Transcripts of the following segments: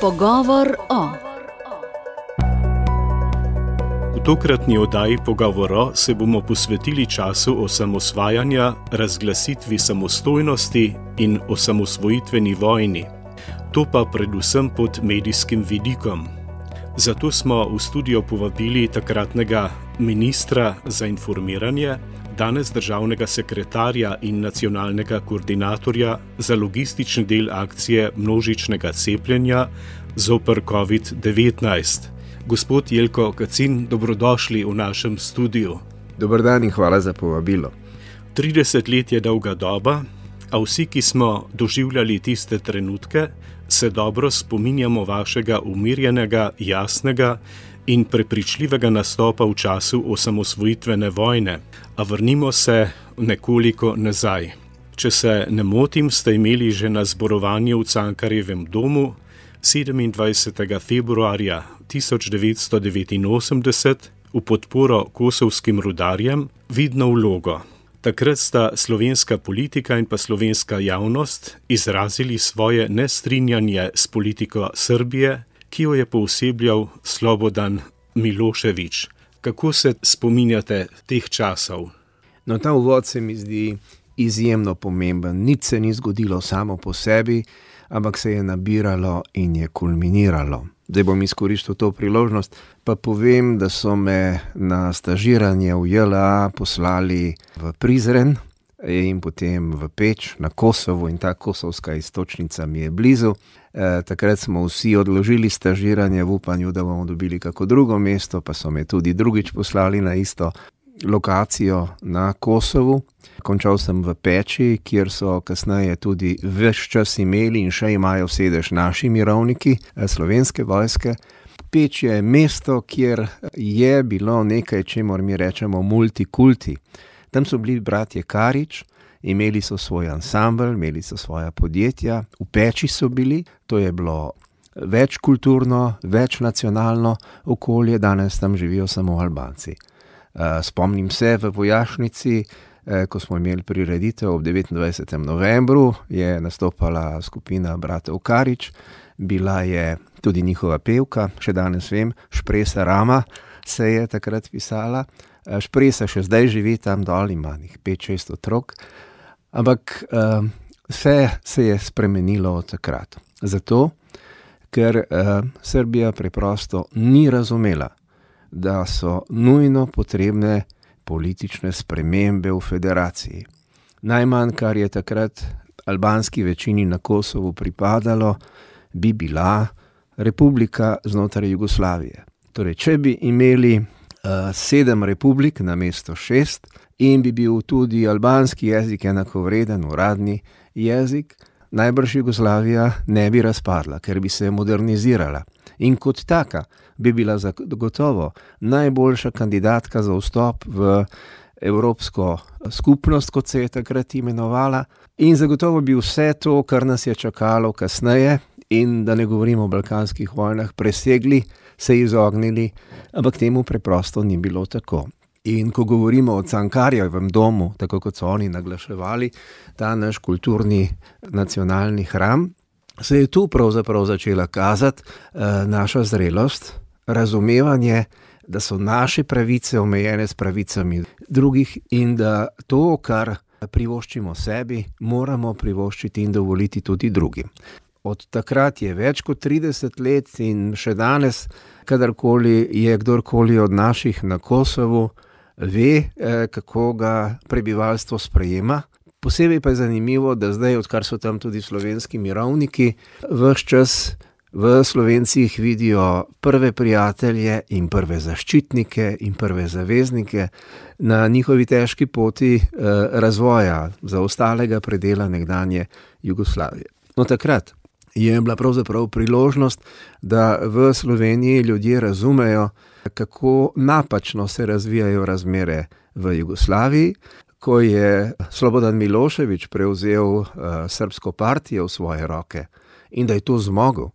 Pogovor o. V tokratni oddaji Pogovor se bomo posvetili času osamosvajanja, razglasitvi samostojnosti in osamosvojitveni vojni. To pa predvsem pod medijskim vidikom. Zato smo v studio povabili takratnega ministra za informiranje, danes državnega sekretarja in nacionalnega koordinatorja za logistični del akcije množičnega cepljenja zoper COVID-19. Gospod Jelko Kacin, dobrodošli v našem studiu. Dober dan in hvala za povabilo. 30 let je dolga doba, a vsi, ki smo doživljali tiste trenutke, se dobro spominjamo vašega umirjenega, jasnega in prepričljivega nastopa v času osamosvojitvene vojne. A vrnimo se nekoliko nazaj. Če se ne motim, ste imeli že na zborovanju v Cankarjevem domu 27. februarja 1989 v podporo kosovskim rudarjem vidno vlogo. Takrat sta slovenska politika in pa slovenska javnost izrazili svoje nestrinjanje s politiko Srbije, ki jo je poosebljal Slobodan Milošević. Kako se spominjate teh časov? No, ta uvod se mi zdi izjemno pomemben. Nič se ni zgodilo samo po sebi, ampak se je nabiralo in je kulminiralo. Zdaj bom izkoristil to priložnost, pa povem, da so me na stažiranje v JLA poslali v Prizren in potem v Peč na Kosovo in ta kosovska iztočnica mi je blizu. Takrat smo vsi odložili stažiranje v upanju, da bomo dobili kako drugo mesto, pa so me tudi drugič poslali na isto lokacijo na Kosovu. Končal sem v Peči, kjer so kasneje tudi ves čas imeli in še imajo sedež naši mirovniki slovenske vojske. Peč je mesto, kjer je bilo nekaj, čemur mi rečemo multikulti. Tam so bili bratje Karič, imeli so svoj ansambel, imeli so svoja podjetja, v Peči so bili, to je bilo večkulturno, večnacionalno okolje, danes tam živijo samo Albanci. Spomnim se v vojašnici, ko smo imeli prireditev ob 29. novembru, je nastopala skupina bratov Karič, bila je tudi njihova pevka, še danes vem, Špresa Rama se je takrat pisala. Špresa še zdaj živi tam dol, ima 5-6 otrok, ampak vse se je spremenilo od takrat. Zato, ker Srbija preprosto ni razumela, da so nujno potrebne politične spremembe v federaciji. Najmanj, kar je takrat albanski večini na Kosovu pripadalo, bi bila republika znotraj Jugoslavije. Torej, če bi imeli 7 republik namesto 6 in bi bil tudi albanski jezik enakovreden uradni jezik, najbrž Jugoslavija ne bi razpadla, ker bi se modernizirala. In kot taka bi bila zagotovo najboljša kandidatka za vstop v Evropsko skupnost, kot se je takrat imenovala. In zagotovo bi vse to, kar nas je čakalo kasneje, in da ne govorimo o balkanskih vojnah, presegli, se izognili, ampak temu preprosto ni bilo tako. In ko govorimo o Cankarjevem domu, tako kot so oni naglaševali, ta naš kulturni nacionalni hram, se je tu pravzaprav začela kazati naša zrelost, razumevanje, da so naše pravice omejene s pravicami drugih in da to, kar privoščimo sebi, moramo privoščiti in dovoliti tudi drugim. Od takrat je več kot 30 let in še danes, kadarkoli je kdorkoli od naših na Kosovu, ve, kako ga prebivalstvo sprejema. Posebej pa je zanimivo, da zdaj, odkar so tam tudi slovenski mirovniki, ves čas v Slovencih vidijo prve prijatelje in prve zaščitnike in prve zaveznike na njihovi težki poti razvoja zaostalega predela nekdanje Jugoslavije. No, takrat je bila pravzaprav priložnost, da v Sloveniji ljudje razumejo, kako napačno se razvijajo razmere v Jugoslaviji. Ko je Slobodan Milošević prevzel srbsko partijo v svoje roke in da je to zmogel,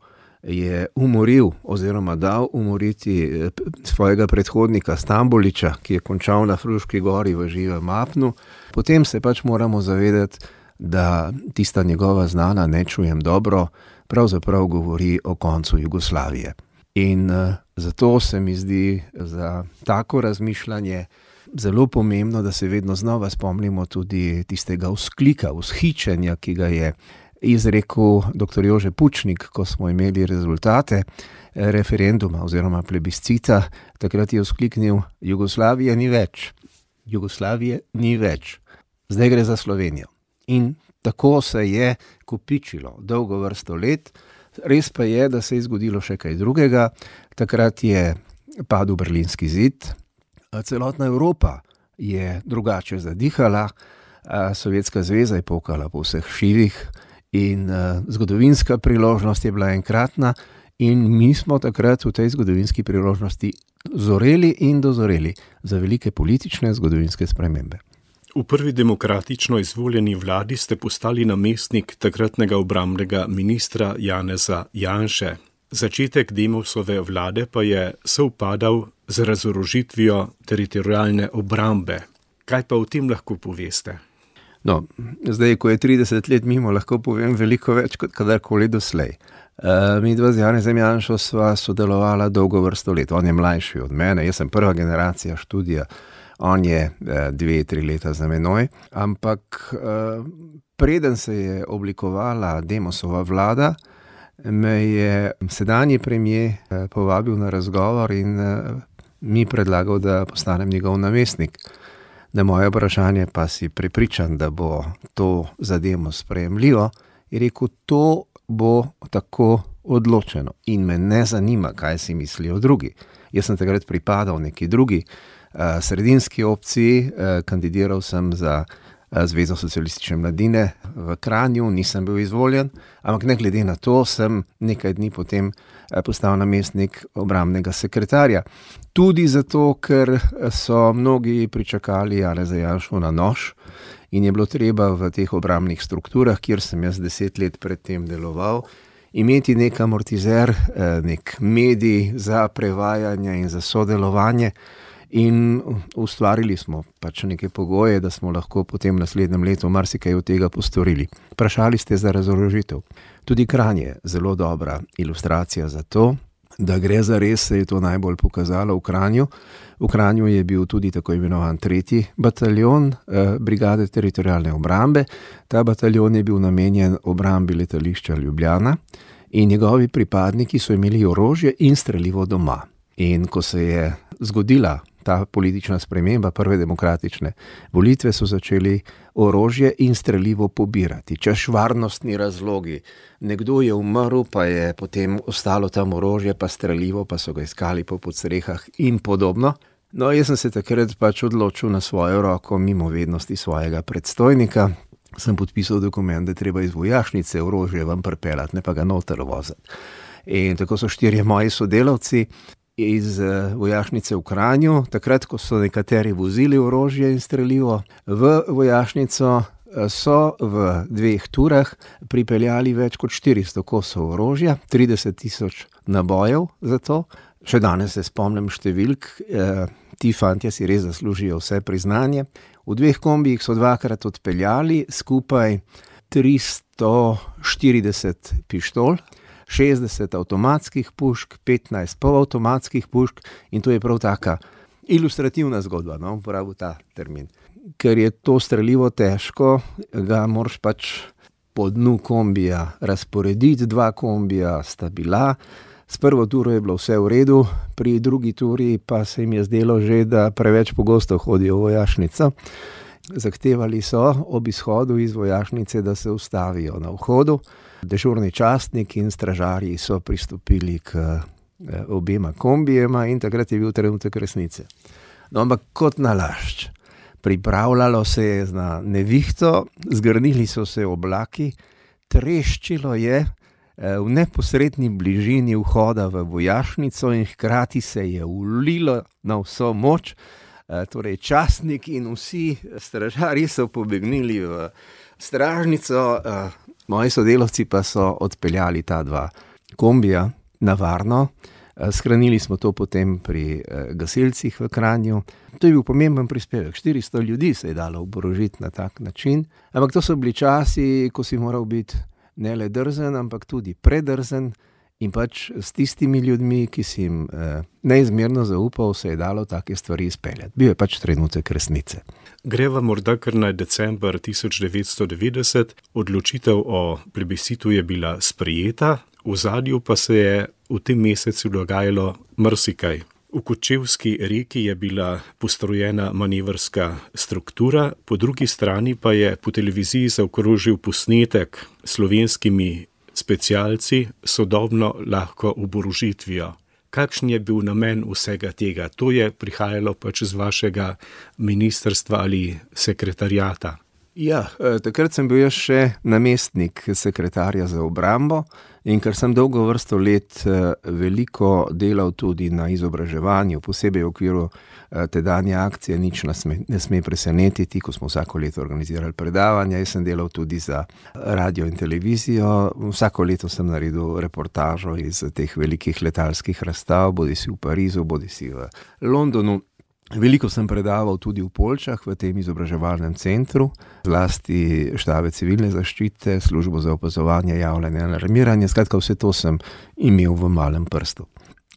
je umoril oziroma dal umoriti svojega predhodnika Stambolića, ki je končal na Fruški gori v živem apnu, potem se pač moramo zavedati, da tista njegova znana "ne čujem dobro", pravzaprav govori o koncu Jugoslavije. In zato se mi zdi za tako razmišljanje zelo pomembno, da se vedno znova spomnimo tudi tistega vzklika, vzhičenja, ki ga je izrekel dr. Jože Pučnik, ko smo imeli rezultate referenduma oziroma plebiscita. Takrat je vzkliknil: Jugoslavije ni več. Jugoslavije ni več. Zdaj gre za Slovenijo. In tako se je kopičilo dolgo vrsto let. Res pa je, da se je zgodilo še kaj drugega. Takrat je padel Berlinski zid. Celotna Evropa je drugače zadihala. Sovjetska zveza je pokala po vseh šivih in zgodovinska priložnost je bila enkratna. In mi smo takrat v tej zgodovinski priložnosti zoreli in dozoreli za velike politične zgodovinske spremembe. V prvi demokratično izvoljeni vladi ste postali namestnik takratnega obrambnega ministra Janeza Janše. Začetek Demosove vlade pa je sovpadal z razorožitvijo teritorialne obrambe. Kaj pa o tem lahko poveste? No, zdaj, ko je 30 let mimo, lahko povem veliko več kot kadarkoli doslej. Mi dva z Janezem Janšo sva sodelovala dolgo vrsto let. On je mlajši od mene, jaz sem prva generacija študija, on je 2-3 leta za menoj. Ampak preden se je oblikovala Demosova vlada, me je sedanji premier povabil na razgovor in mi predlagal, da postanem njegov namestnik. Na moje vprašanje, pa si prepričan, da bo to za Demos sprejemljivo, je rekel: to bo tako odločeno in me ne zanima, kaj si mislijo drugi. Jaz sem takrat pripadal neki drugi sredinski opciji, kandidiral sem za Zvezo socialistične mladine v Kranju, nisem bil izvoljen, ampak ne glede na to sem nekaj dni potem postal namestnik obrambnega sekretarja. Tudi zato, ker so mnogi pričakali Janeza Janšo na nož in je bilo treba v teh obrambnih strukturah, kjer sem jaz 10 let predtem deloval, imeti nek amortizer, nek medij za prevajanje in za sodelovanje. In ustvarili smo pač neke pogoje, da smo lahko potem v naslednjem letu marsikaj od tega postorili. Vprašali ste za razorožitev. Tudi Kranj je zelo dobra ilustracija za to, da gre za res, se je to najbolj pokazalo v Kranju. V Kranju je bil tudi tako imenovan 3. bataljon brigade teritorialne obrambe. Ta bataljon je bil namenjen obrambi letališča Ljubljana in njegovi pripadniki so imeli orožje in strelivo doma. In ko se je zgodila ta politična sprememba, prve demokratične volitve, so začeli orožje in strelivo pobirati. Češ varnostni razlogi. Nekdo je umrl, pa je potem ostalo tam orožje, pa strelivo, pa so ga iskali po podstrehah in podobno. No, jaz sem se takrat pač odločil na svojo roko, mimo vednosti svojega predstojnika. Sem podpisal dokument, da treba iz vojašnice orožje vam pripeljati, ne pa ga noter voziti. In tako so 4 moji sodelavci iz vojašnice v Kranju, takrat, ko so nekateri vozili orožje in strelivo v vojašnico, so v 2 turah pripeljali več kot 400 kosov orožja, 30 000 nabojev za to. Še danes se spomnim številk, ti fantje si res zaslužijo vse priznanje. V 2 kombijih so 2-krat odpeljali skupaj 340 pištol, 60 avtomatskih pušk, 15 polavtomatskih pušk in to je prav taka ilustrativna zgodba, no, uporabil ta termin. Ker je to strelivo težko, ga moraš pač po dnu kombija razporediti, 2 kombija sta bila. S prvo turo je bilo vse v redu, pri drugi turi pa se jim je zdelo že, da preveč pogosto hodijo v vojašnico. Zahtevali so ob izhodu iz vojašnice, da se ustavijo na vhodu. Dežurni častnik in stražarji so pristopili k obema kombijema in takrat je bil trenutek resnice. No, ampak kot nalašč. Pripravljalo se je na nevihto, zgrnili so se oblaki, treščilo je v neposredni bližini vhoda v vojašnico in hkrati se je ulilo na vso moč. Torej častnik in vsi stražarji so pobegnili v stražnico, moji sodelavci pa so odpeljali ta 2 kombija na varno. Shranili smo to potem pri gasilcih v Kranju. To je bil pomemben prispevek. 400 ljudi se je dalo oborožiti na tak način. Ampak to so bili časi, ko si moral biti ne le drzen, ampak tudi predrzen. In pač s tistimi ljudmi, ki si jim neizmerno zaupal, se je dalo take stvari izpeljati. Bil je pač trenutek resnice. Greva morda kar na december 1990. Odločitev o plebiscitu je bila sprejeta, v ozadju pa se je v tem mesecu dogajalo marsikaj. V Kočevski reki je bila postrojena manevrska struktura, po drugi strani pa je po televiziji zaokrožil posnetek s slovenskimi specialci sodobno lahko oborožitvijo. Kakšen je bil namen vsega tega? To je prihajalo pač z vašega ministrstva ali sekretariata? Ja, takrat sem bil jaz še namestnik sekretarja za obrambo in ker sem dolgo vrsto let veliko delal tudi na izobraževanju, posebej v okviru tedanje akcije Nič ne sme presenetiti, ko smo vsako leto organizirali predavanja. Jaz sem delal tudi za radio in televizijo. Vsako leto sem naredil reportažo iz teh velikih letalskih razstav, bodisi v Parizu, bodisi v Londonu. Veliko sem predaval tudi v Poljčah, v tem izobraževalnem centru, zlasti štabe civilne zaščite, službo za opazovanje, javljanje, alarmiranje. Skratka, vse to sem imel v malem prstu.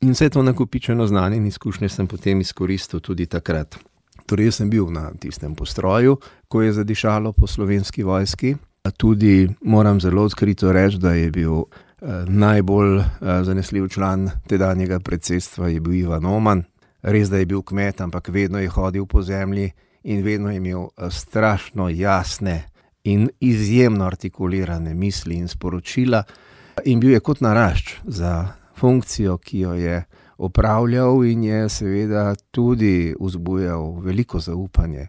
In vse to nakopičeno znanje in izkušnje sem potem izkoristil tudi takrat. Torej, jaz sem bil na tistem postroju, ko je zadišalo po Slovenski vojski. Tudi moram zelo odkrito reči, da je bil najbolj zanesljiv član tedanjega predsedstva je bil Ivan Oman. Res, da je bil kmet, ampak vedno je hodil po zemlji in vedno je imel strašno jasne in izjemno artikulirane misli in sporočila. In bil je kot narašč za funkcijo, ki jo je opravljal in je seveda tudi vzbujal veliko zaupanje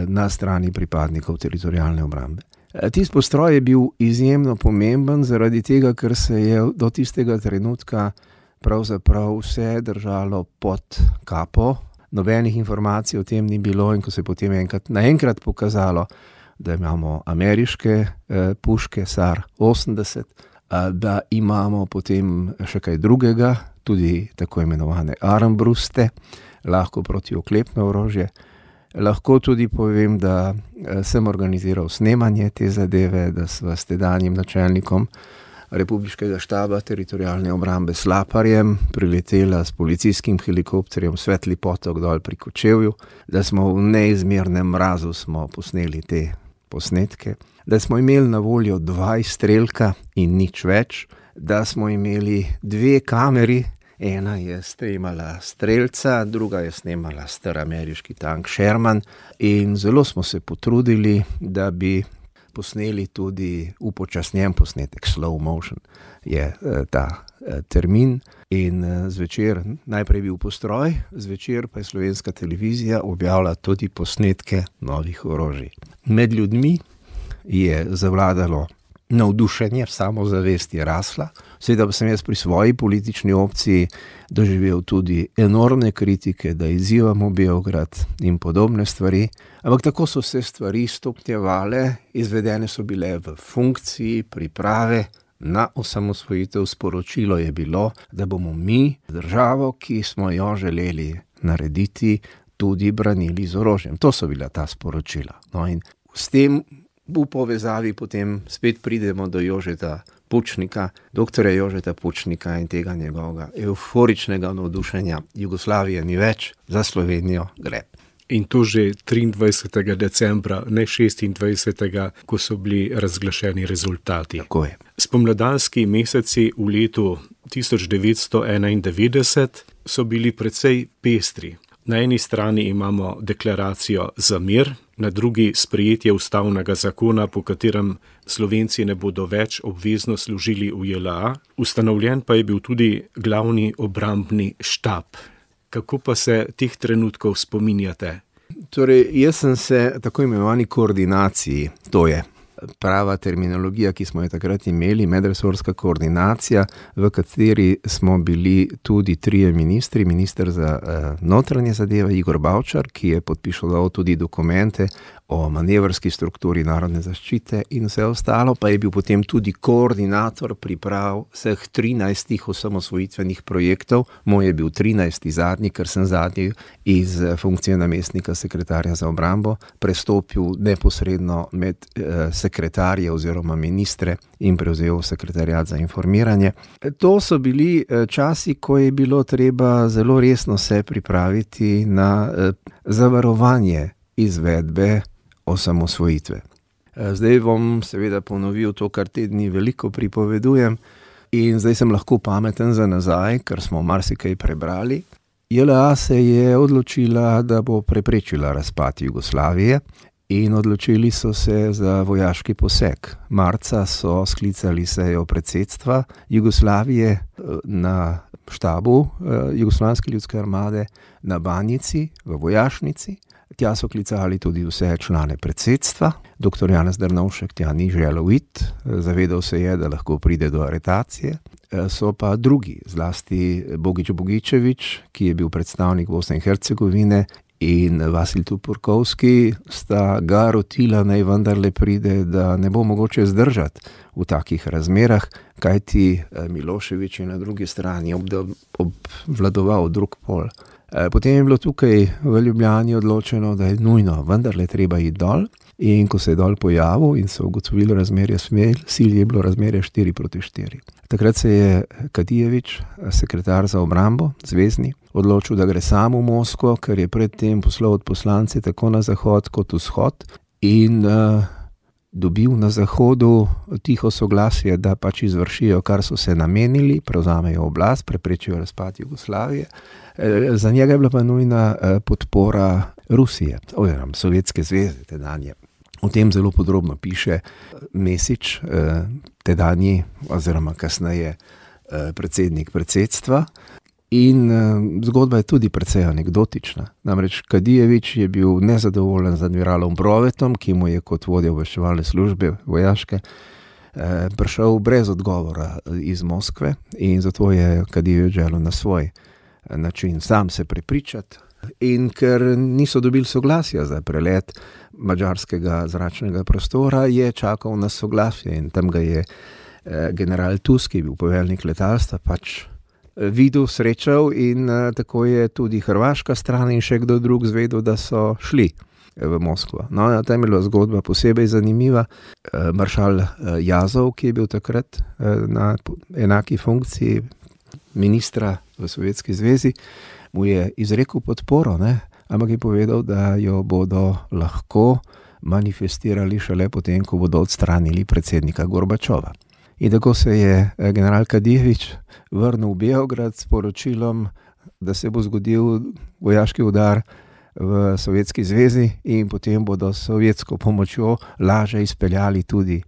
na strani pripadnikov teritorialne obrambe. Tisti postroj je bil izjemno pomemben zaradi tega, ker se je do tistega trenutka pravzaprav vse držalo pod kapo. Nobenih informacij o tem ni bilo in ko se je potem naenkrat pokazalo, da imamo ameriške puške SAR 80, da imamo potem še kaj drugega, tudi tako imenovane armbruste, lahko protioklepno orožje. Lahko tudi povem, da sem organiziral snemanje te zadeve, da sva s tedanjim načelnikom Republiškega štaba teritorialne obrambe Slaparjem priletela s policijskim helikopterjem Svetli potok dol pri Kočevju, da smo v neizmernem mrazu smo posneli te posnetke, da smo imeli na voljo 2 izstrelka in nič več, da smo imeli 2 kameri, ena je snemala strelca, druga je snemala star ameriški tank Sherman in zelo smo se potrudili, da bi posneli tudi upočasnjen posnetek, slow motion je ta termin. In zvečer najprej bil postroj, zvečer pa je Slovenska televizija objavila tudi posnetke novih orožij. Med ljudmi je zavladalo navdušenje, samozavest je rasla. Seveda pa sem jaz pri svoji politični opciji doživel tudi enormne kritike, da izzivamo Beograd in podobne stvari. Ampak tako so se stvari stopnjevale, izvedene so bile v funkciji priprave na osamosvojitev. Sporočilo je bilo, da bomo mi državo, ki smo jo želeli narediti, tudi branili z orožjem. To so bila ta sporočila. No in s tem v povezavi potem spet pridemo do Jožeta Pučnika, doktorja Jožeta Pučnika in tega njegovega euforičnega navdušenja. Jugoslavije ni več, za Slovenijo gre. In to že 23. decembra, ne 26., ko so bili razglašeni rezultati. Tako je. Spomladanski meseci v letu 1991 so bili precej pestri. Na eni strani imamo deklaracijo za mir, na drugi sprejetje ustavnega zakona, po katerem Slovenci ne bodo več obvezno služili v JLA. Ustanovljen pa je bil tudi glavni obrambni štab. Kako pa se teh trenutkov spominjate? Torej, jaz sem se tako imenovani koordinaciji, to je prava terminologija, ki smo jo takrat imeli, medresorska koordinacija, v kateri smo bili tudi 3 ministri, minister za notranje zadeve Igor Bavčar, ki je podpišal tudi dokumente o manevrski strukturi narodne zaščite in vse ostalo, pa je bil potem tudi koordinator priprav vseh 13 osamosvojitvenih projektov. Moj je bil 13. zadnji, ker sem zadnji iz funkcije namestnika sekretarja za obrambo prestopil neposredno med sekretarje oziroma ministre in prevzel sekretariat za informiranje. To so bili časi, ko je bilo treba zelo resno se pripraviti na zavarovanje izvedbe osamosvojitve. Zdaj bom seveda ponovil to, kar te dni veliko pripovedujem, in zdaj sem lahko pameten za nazaj, ker smo marsikaj prebrali. JLA se je odločila, da bo preprečila razpad Jugoslavije in odločili so se za vojaški poseg. Marca so sklicali sejo predsedstva Jugoslavije na štabu Jugoslovanske ljudske armade na Banjici v vojašnici. Tja so klicali tudi vse člane predsedstva. Dr. Janez Drnovšek tja ni želel iti, zavedal se je, da lahko pride do aretacije. So pa drugi, zlasti Bogić Bogičević, ki je bil predstavnik Bosne in Hercegovine, in Vasilij Tupurkovski sta ga rotila, naj vendarle pride, da ne bo mogoče zdržati v takih razmerah, kajti Milošević je na drugi strani obvladoval drug pol. Potem je bilo tukaj v Ljubljani odločeno, da je nujno vendarle treba iti dol, in ko se je dol pojavil in so ugotovili razmerje sil, je bilo razmerje 4:4. Takrat se je Kadijević, sekretar za obrambo, zvezni, odločil, da gre sam v Moskvo, ker je predtem poslal od poslance tako na zahod kot vzhod in dobil na zahodu tiho soglasje, da pač izvršijo, kar so se namenili, prevzamejo oblast, preprečijo razpad Jugoslavije. Za njega je bila pa nujna podpora Rusije, oziroma Sovjetske zveze tedanje. O tem zelo podrobno piše Mesić, tedanji oziroma kasneje predsednik predsedstva. In zgodba je tudi precej anekdotična. Namreč Kadijević je bil nezadovoljen z admiralom Brovetom, ki mu je kot vodja obveščevalne službe vojaške prišel brez odgovora iz Moskve, in zato je Kadijević želel na svoj način sam se prepričati. In ker niso dobili soglasja za prelet madžarskega zračnega prostora, je čakal na soglasje, in tam ga je general Tusk, ki je bil poveljnik letalstva, pač videl, srečal, in tako je tudi hrvaška stran in še kdo drug zvedel, da so šli v Moskvo. No, tam je bila zgodba posebej zanimiva. Maršal Jazov, ki je bil takrat na enaki funkciji ministra v Sovjetski zvezi, mu je izrekel podporo, ampak je povedal, da jo bodo lahko manifestirali šele potem, ko bodo odstranili predsednika Gorbačova. In tako se je general Kadijević vrnil v Beograd s poročilom, da se bo zgodil vojaški udar v Sovjetski zvezi in potem bodo s sovjetsko pomočjo laže izpeljali tudi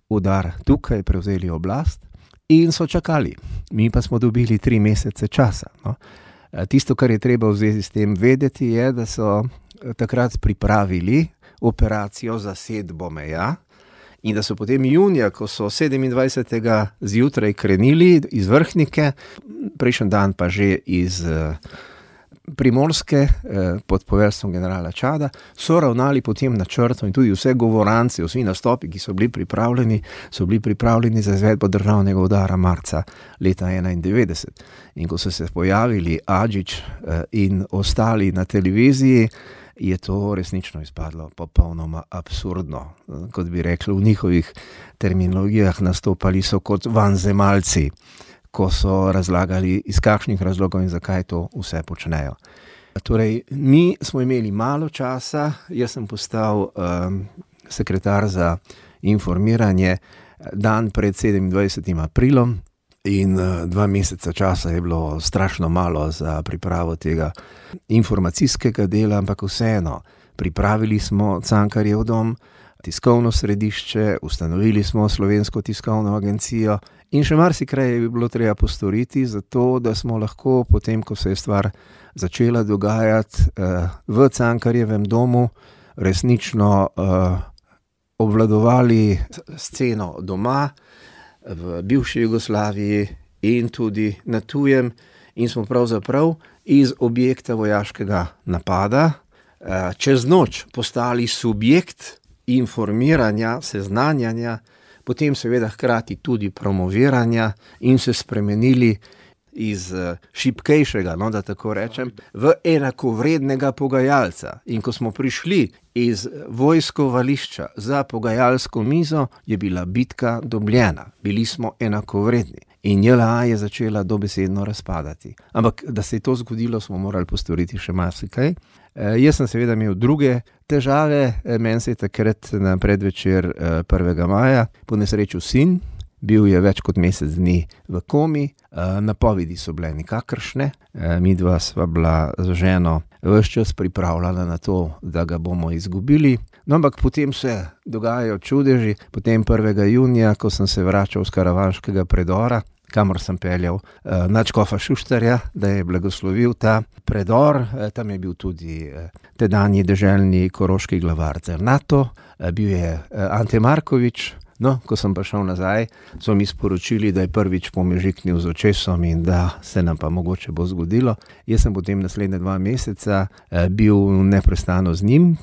udar tukaj, prevzeli oblast in so čakali. Mi pa smo dobili 3 mesece časa. No. Tisto, kar je treba v zvezi s tem vedeti, je, da so takrat pripravili operacijo zasedbo meja, in da so potem junija, ko so 27. zjutraj krenili iz Vrhnike, prejšnji dan pa že iz Primorske pod poveljstvom generala Čada, so ravnali potem načrtno, in tudi vse govorance, vsi nastopi, ki so bili pripravljeni za izvedbo državnega udara marca leta 1991. In ko so se pojavili Adžić in ostali na televiziji, je to resnično izpadlo popolnoma absurdno. Kot bi rekli v njihovih terminologijah, nastopali so kot vanzemalci, ko so razlagali, iz kakšnih razlogov in zakaj to vse počnejo. Torej, mi smo imeli malo časa, jaz sem postal sekretar za informiranje dan pred 27. aprilom, in 2 meseca časa je bilo strašno malo za pripravo tega informacijskega dela, ampak vseeno, pripravili smo Cankarjev dom, tiskovno središče, ustanovili smo Slovensko tiskovno agencijo in še marsikaj je bilo treba postoriti, zato da smo lahko potem, ko se je stvar začela dogajati, v Cankarjevem domu resnično obvladovali sceno doma, v bivši Jugoslaviji in tudi na tujem, in smo pravzaprav iz objekta vojaškega napada čez noč postali subjekt informiranja, seznanjanja, potem seveda hkrati tudi promoviranja in se spremenili iz šibkejšega, da tako rečem, v enakovrednega pogajalca. In ko smo prišli iz vojskovališča za pogajalsko mizo, je bila bitka dobljena. Bili smo enakovredni. In JLA je začela dobesedno razpadati. Ampak, da se je to zgodilo, smo morali postoriti še marsikaj. Jaz sem seveda imel druge težave. Meni se je takrat na predvečer 1. maja ponesrečil sin. Bil je več kot mesec dni v komi, napovedi so bile nikakršne, midva sva bila z ženo ves čas pripravljena na to, da ga bomo izgubili. No, ampak potem se dogajajo čudeži. Potem 1. junija, ko sem se vračal z karavanškega predora, kamor sem peljal nadškofa Šuštarja, da je blagoslovil ta predor. Tam je bil tudi tedanji deželni koroški glavar Cernato, bil je Ante Markovič. No, ko sem pa šel nazaj, so mi sporočili, da je prvič pomežiknil z očesom in da se nam pa mogoče bo zgodilo. Jaz sem potem naslednje 2 meseca bil neprestano z njim,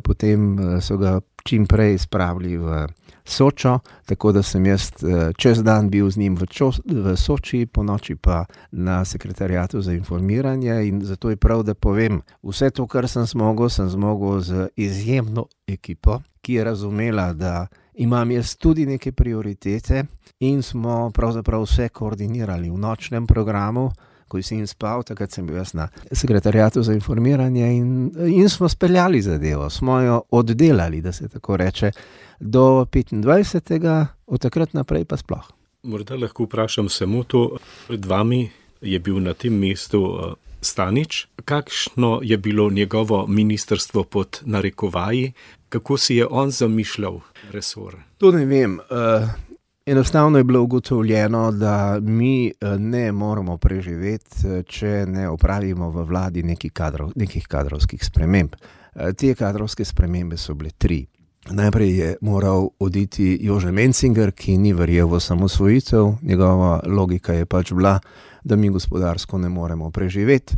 potem so ga čim prej spravili v Sočo, tako da sem jaz čez dan bil z njim v Soči, po noči pa na sekretariatu za informiranje, in zato je prav, da povem, vse to, kar sem zmogel z izjemno ekipo, ki je razumela, da imam jaz tudi neke prioritete, in smo pravzaprav vse koordinirali v nočnem programu. Ko je sin spal, takrat sem bil jaz na sekretariatu za informiranje in smo speljali zadevo, smo jo oddelali, da se tako reče, do 25. Od takrat naprej pa sploh. Morda lahko vprašam samo to, pred vami je bil na tem mestu Stanič. Kakšno je bilo njegovo ministrstvo pod narekovaji? Kako si je on zamišljal resor? To ne vem. Enostavno je bilo ugotovljeno, da mi ne moramo preživeti, če ne opravimo v vladi nekih kadrovskih sprememb. Te kadrovske spremembe so bile 3. Najprej je moral oditi Jože Mencinger, ki ni verjel v osamosvojitev. Njegova logika je pač bila, da mi gospodarsko ne moremo preživeti.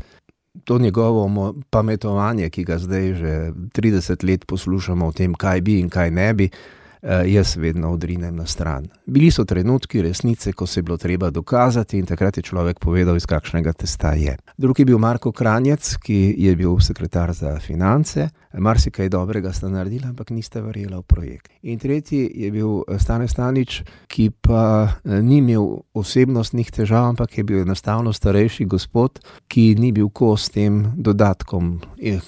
To njegovo pametovanje, ki ga zdaj že 30 let poslušamo o tem, kaj bi in kaj ne bi, jaz vedno odrinem na stran. Bili so trenutki resnice, ko se je bilo treba dokazati, in takrat je človek povedal, iz kakšnega testa je. Drugi je bil Marko Kranjec, ki je bil sekretar za finance. Marsikaj dobrega sta naredila, ampak nista verjela v projekt. In tretji je bil Stane Stanič, ki pa ni imel osebnostnih težav, ampak je bil enostavno starejši gospod, ki ni bil kos tem dodatkom,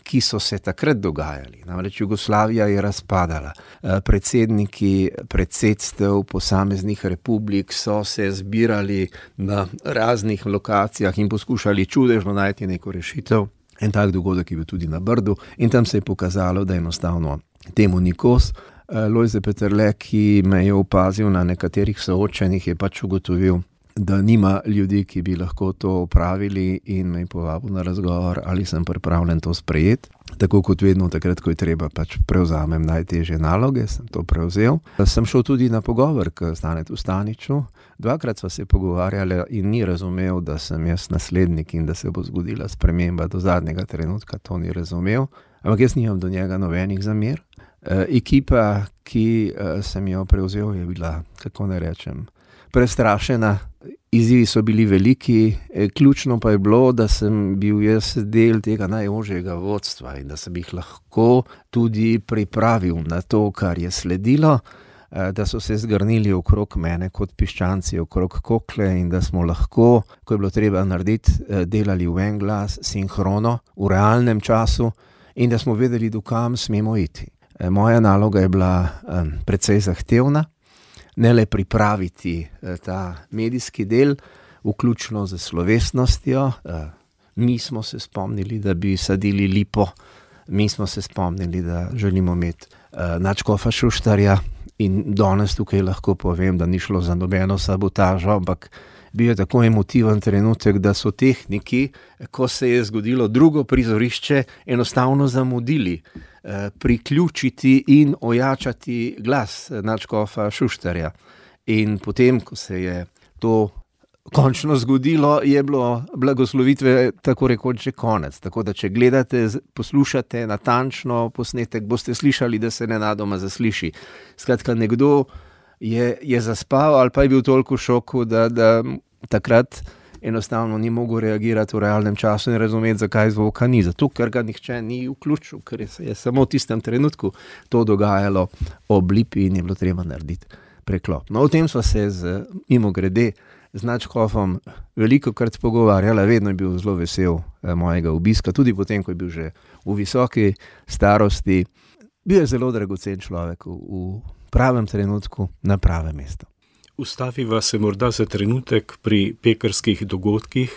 ki so se takrat dogajali. Namreč Jugoslavija je razpadala. Predsedniki predsedstev posameznih republik so se zbirali na raznih lokacijah in poskušali čudežno najti neko rešitev. En tak dogodek je bil tudi na Brdu in tam se je pokazalo, da enostavno temu ni kos. Lojze Peterle, ki me je opazil na nekaterih soočenjih, je pač ugotovil, da nima ljudi, ki bi lahko to opravili, in me je povabil na razgovor, ali sem pripravljen to sprejeti. Tako kot vedno, takrat, ko je treba, pač prevzamem najtežje naloge, sem to prevzel. Sem šel tudi na pogovor k Stanetu Staniču. 2-krat sva se pogovarjali in ni razumel, da sem jaz naslednik in da se bo zgodila sprememba. Do zadnjega trenutka to ni razumel, ampak jaz nimam do njega nobenih zamer. Ekipa, ki sem jo prevzel, je bila, kako ne rečem, prestrašena. Izzivi so bili veliki, ključno pa je bilo, da sem bil jaz del tega najožjega vodstva in da sem jih lahko tudi pripravil na to, kar je sledilo, da so se zgrnili okrog mene kot piščanci okrog kokle in da smo lahko, ko je bilo treba narediti, delali v en glas, sinhrono, v realnem času, in da smo vedeli, do kam smemo iti. Moja naloga je bila precej zahtevna. Ne le pripraviti ta medijski del, vključno z slovesnostjo. Mi smo se spomnili, da bi sadili lipo, mi smo se spomnili, da želimo imeti nadškofa Šuštarja, in danes tukaj lahko povem, da ni šlo za nobeno sabotažo, ampak bil je tako emotiven trenutek, da so tehniki, ko se je zgodilo drugo prizorišče, enostavno zamudili priključiti in ojačati glas nadškofa Šuštarja. In potem, ko se je to končno zgodilo, je bilo blagoslovitve tako rekoč že konec. Tako da, če gledate, poslušate natančno posnetek, boste slišali, da se nenadoma zasliši. Skratka, nekdo je zaspal ali pa je bil toliko v šoku, da takrat enostavno ni mogel reagirati v realnem času in razumeti, zakaj zvoka ni. Zato, ker ga nihče ni vključil, ker je samo v tistem trenutku to dogajalo ob lipi in je bilo treba narediti preklop. No, o tem sva se mimogrede z nadškofom velikokrat pogovarjala, vedno je bil zelo vesel mojega obiska, tudi potem, ko je bil že v visoki starosti. Bil je zelo dragocen človek v pravem trenutku na pravem mestu. Ustaviva se morda za trenutek pri pekrskih dogodkih,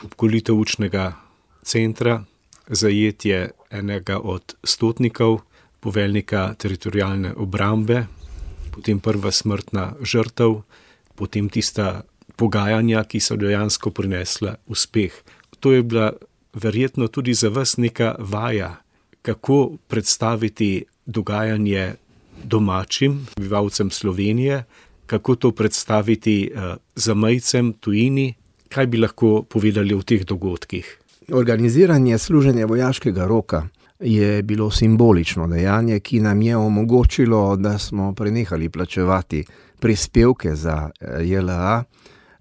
obkolitev učnega centra, zajetje enega od stotnikov, poveljnika teritorialne obrambe, potem prva smrtna žrtev, potem tista pogajanja, ki so dejansko prinesla uspeh. To je bila verjetno tudi za vas neka vaja, kako predstaviti dogajanje domačim prebivalcem Slovenije, kako to predstaviti zamejcem, tujini, kaj bi lahko povedali o teh dogodkih? Organiziranje služenja vojaškega roka je bilo simbolično dejanje, ki nam je omogočilo, da smo prenehali plačevati prispevke za JLA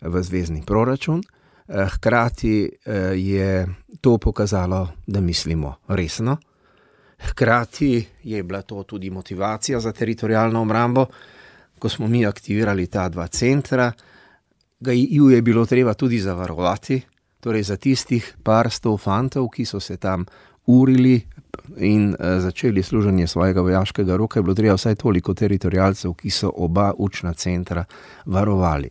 v zvezni proračun. Hkrati je to pokazalo, da mislimo resno. Hkrati je bila to tudi motivacija za teritorialno obrambo. Ko smo mi aktivirali ta dva centra, ju je bilo treba tudi zavarovati, torej za tistih par sto fantov, ki so se tam urili in začeli služenje svojega vojaškega roka, je bilo treba vsaj toliko teritorialcev, ki so oba učna centra varovali.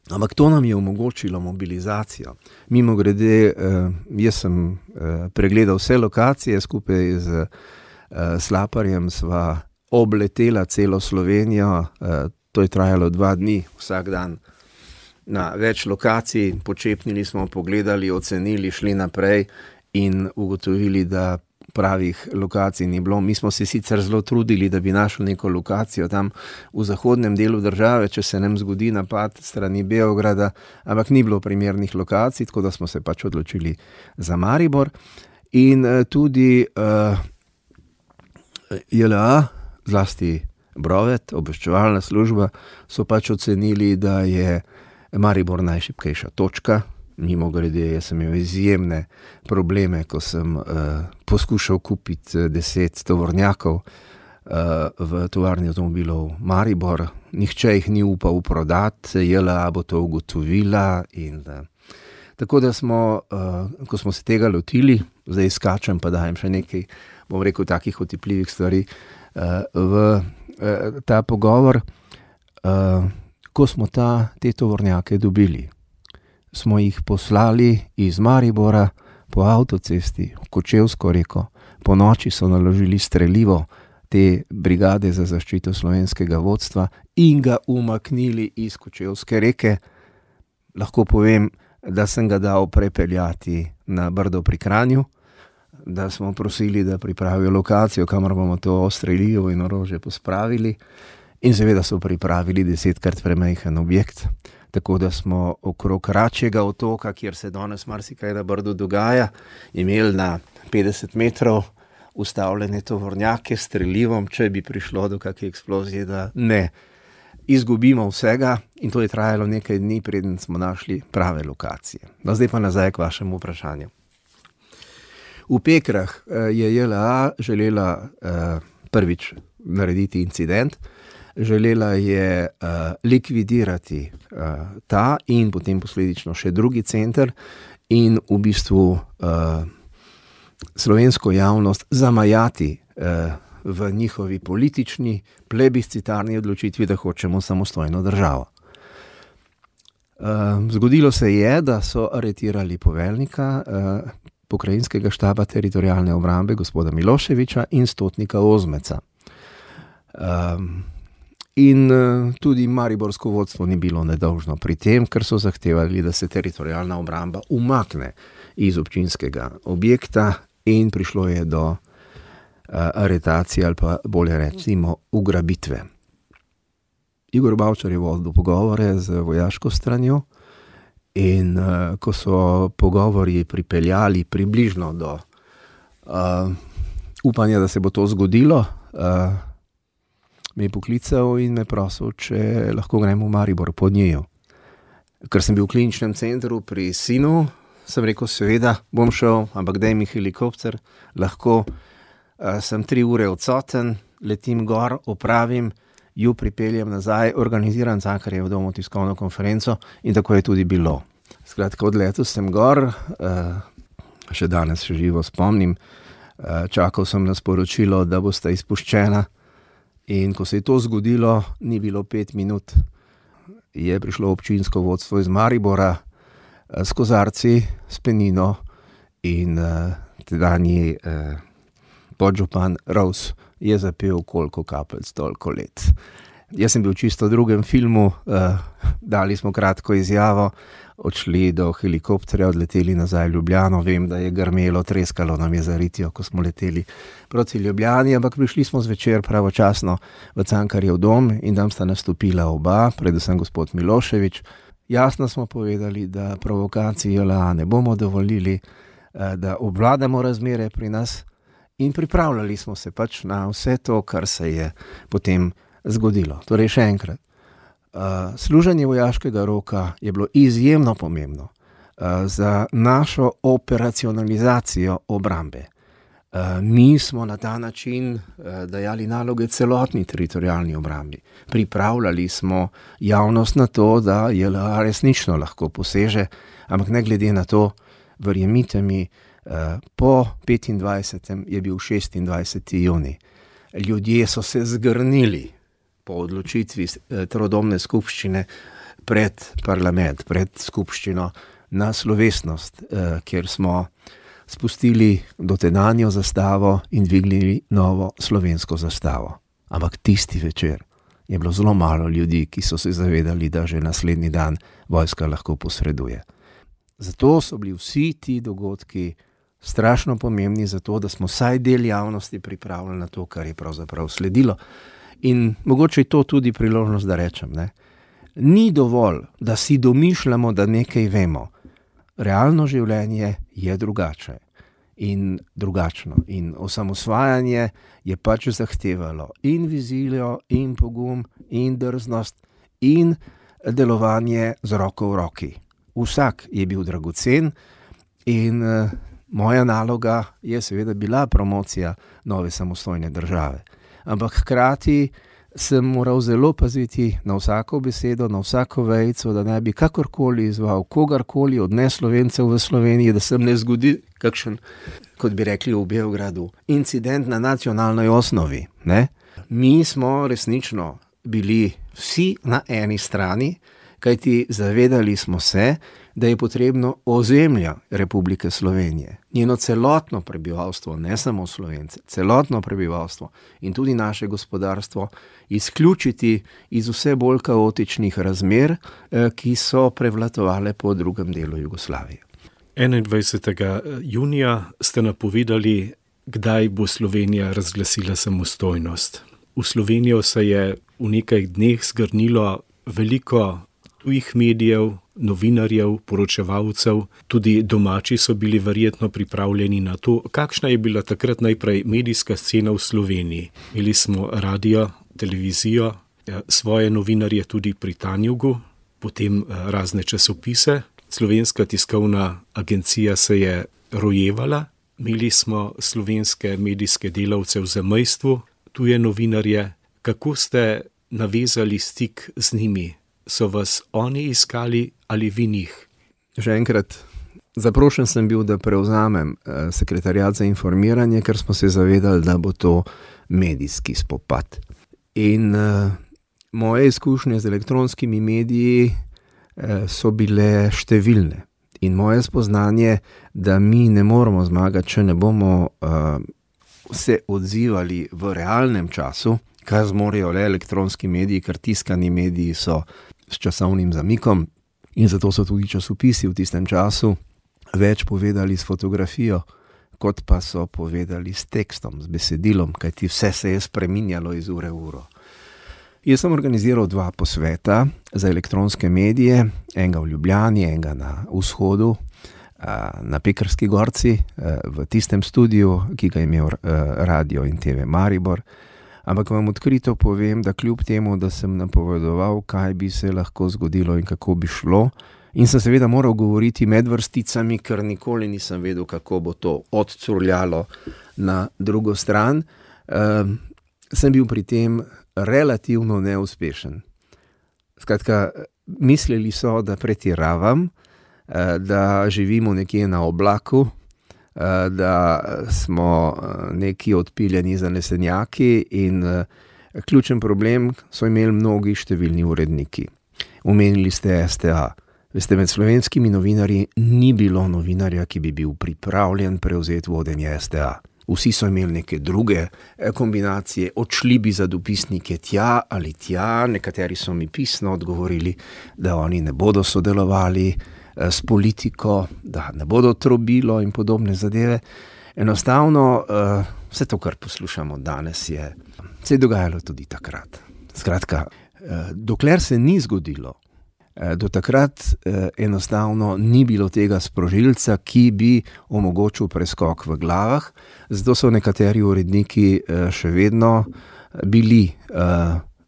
Ampak to nam je omogočilo mobilizacijo. Mimogrede, jaz sem pregledal vse lokacije, skupaj z Slaparjem sva obletela celo Slovenijo, to je trajalo 2 dni, vsak dan na več lokacij, počepnili smo, pogledali, ocenili, šli naprej in ugotovili, da pravih lokacij ni bilo. Mi smo se sicer zelo trudili, da bi našli neko lokacijo tam v zahodnem delu države, če se nam zgodi napad strani Beograda, ampak ni bilo primernih lokacij, tako da smo se pač odločili za Maribor. In tudi JLA, zlasti Brovet, obveščevalna služba, so pač ocenili, da je Maribor najšibkejša točka. Mimogrede, jaz sem imel izjemne probleme, ko sem poskušal kupiti 10 tovornjakov v tovarni avtomobilov Maribor. Nihče jih ni upal prodati, JLA bo to ugotovila. Tako da smo, ko smo se tega lotili, zdaj skačem pa dajem še nekaj, bom rekel, takih otipljivih stvari v ta pogovor. Ko smo te tovornjake dobili, smo jih poslali iz Maribora po avtocesti v Kočevsko reko. Po noči so naložili strelivo te brigade za zaščito slovenskega vodstva in ga umaknili iz Kočevske reke. Lahko povem, da sem ga dal prepeljati na Brdo pri Kranju, da smo prosili, da pripravijo lokacijo, kamor bomo to strelivo in orožje pospravili. In seveda so pripravili 10-krat premajhen objekt. Tako da smo okrog Račjega otoka, kjer se danes marsikaj na Brdu dogaja, imeli na 50 metrov ustavljene tovornjake s strelivom, če bi prišlo do kakšne eksplozije, da ne izgubimo vsega. In to je trajalo nekaj dni, preden smo našli prave lokacije. No, zdaj pa nazaj k vašemu vprašanju. V Pekrah je JLA želela prvič narediti incident, želela je likvidirati ta in potem posledično še drugi center in v bistvu slovensko javnost zamajati v njihovi politični plebiscitarni odločitvi, da hočemo samostojno državo. Zgodilo se je, da so aretirali poveljnika pokrajinskega štaba teritorialne obrambe gospoda Miloševića in stotnika Ozmeca. In tudi mariborsko vodstvo ni bilo nedolžno pri tem, ker so zahtevali, da se teritorialna obramba umakne iz občinskega objekta in prišlo je do aretacije ali pa bolje recimo ugrabitve. Igor Bavčar je vodil pogovore z vojaško stranjo in ko so pogovori pripeljali približno do upanja, da se bo to zgodilo, me je poklical in me prosil, če lahko gremo v Maribor po njiju. Ker sem bil v kliničnem centru pri sinu, sem rekel, seveda bom šel, ampak daj mi helikopter, lahko sem 3 ure odsoten, letim gor, opravim, ju pripeljem nazaj, organiziram Cankarjev dom tiskovno konferenco in tako je tudi bilo. Skratka, odletel sem gor, še danes še živo spomnim, čakal sem na sporočilo, da bosta izpuščena in ko se je to zgodilo, ni bilo 5 minut, je prišlo občinsko vodstvo iz Maribora s kozarci, s penino in tedanji podžupan Rovs je zapel koliko kapelc, toliko let. Jaz sem bil čisto v drugem filmu, dali smo kratko izjavo, odšli do helikopterja, odleteli nazaj v Ljubljano, vem, da je grmelo, treskalo nam je za ritjo, ko smo leteli proti Ljubljani, ampak prišli smo zvečer pravočasno v Cankarjev dom in tam sta nastopila oba, predvsem gospod Milošević. Jasno smo povedali, da provokacij JLA ne bomo dovolili, da obvladamo razmere pri nas in pripravljali smo se pač na vse to, kar se je potem zgodilo. Torej še enkrat, služenje vojaškega roka je bilo izjemno pomembno za našo operacionalizacijo obrambe. Mi smo na ta način dajali naloge celotni teritorialni obrambi. Pripravljali smo javnost na to, da JLA resnično lahko poseže, ampak ne glede na to, verjemite mi, po 25. je bil 26. junij. Ljudje so se zgrnili po odločitvi trodomne skupščine pred parlament, pred skupščino na slovesnost, kjer smo spustili dotedanjo zastavo in dvignili novo slovensko zastavo. Ampak tisti večer je bilo zelo malo ljudi, ki so se zavedali, da že naslednji dan vojska lahko posreduje. Zato so bili vsi ti dogodki strašno pomembni za to, da smo vsaj del javnosti pripravljali na to, kar je pravzaprav sledilo. In mogoče je to tudi priložnost, da rečem, ne? Ni dovolj, da si domišljamo, da nekaj vemo. Realno življenje je drugače in drugačno. In osamosvajanje je pač zahtevalo in vizijo, in pogum, in drznost, in delovanje z roko v roki. Vsak je bil dragocen in moja naloga je seveda bila promocija nove samostojne države. Ampak hkrati sem moral zelo paziti na vsako besedo, na vsako vejico, da ne bi kakorkoli izval kogarkoli od neslovencev v Sloveniji, da se ne zgodi kakšen, kot bi rekli v Beogradu, incident na nacionalnoj osnovi. Ne? Mi smo resnično bili vsi na eni strani, kajti zavedali smo se, da je potrebno ozemlja Republike Slovenije, njeno celotno prebivalstvo, ne samo Slovence, celotno prebivalstvo in tudi naše gospodarstvo izključiti iz vse bolj kaotičnih razmer, ki so prevladovale po drugem delu Jugoslavije. 21. junija ste napovedali, kdaj bo Slovenija razglasila samostojnost. V Slovenijo se je v nekaj dneh zgrnilo veliko tujih medijev, novinarjev, poročevalcev, tudi domači so bili verjetno pripravljeni na to. Kakšna je bila takrat najprej medijska scena v Sloveniji? Imeli smo radio, televizijo, svoje novinarje tudi pri Tanjugu, potem razne časopise. Slovenska tiskovna agencija se je rojevala, imeli smo slovenske medijske delavce v zamejstvu, tuje novinarje. Kako ste navezali stik z njimi? So vas oni iskali ali vi njih? Že enkrat, zaprošen sem bil, da prevzamem sekretariat za informiranje, ker smo se zavedali, da bo to medijski spopad. In moje izkušnje z elektronskimi mediji so bile številne. In moje spoznanje, da mi ne moramo zmagati, če ne bomo se odzivali v realnem času, kar zmorejo le elektronski mediji, ker tiskani mediji so s časovnim zamikom in zato so tudi časopisi v tistem času več povedali s fotografijo, kot pa so povedali s tekstom, s besedilom, kajti vse se je spreminjalo iz ure v uro. Jaz sem organiziral 2 posveta za elektronske medije, enega v Ljubljani, enega na vzhodu, na Pekrski gorci, v tistem studiu, ki ga je imel Radio in TV Maribor. Ampak vam odkrito povem, da kljub temu, da sem napovedoval, kaj bi se lahko zgodilo in kako bi šlo, in sem seveda moral govoriti med vrsticami, ker nikoli nisem vedel, kako bo to odcurljalo na drugo stran, sem bil pri tem relativno neuspešen. Skratka, mislili so, da pretiravam, da živimo nekje na oblaku, da smo neki odpiljeni zanesenjaki in ključen problem so imeli mnogi številni uredniki. Omenili ste STA. Veste, med slovenskimi novinarji ni bilo novinarja, ki bi bil pripravljen prevzeti vodenje STA. Vsi so imeli neke druge kombinacije, odšli bi za dopisnike tja ali tja, nekateri so mi pisno odgovorili, da oni ne bodo sodelovali s politiko, da ne bodo trobilo in podobne zadeve. Enostavno, vse to, kar poslušamo danes, se je dogajalo tudi takrat. Skratka, dokler se ni zgodilo, do takrat enostavno ni bilo tega sprožilca, ki bi omogočil preskok v glavah, zato so nekateri uredniki še vedno bili,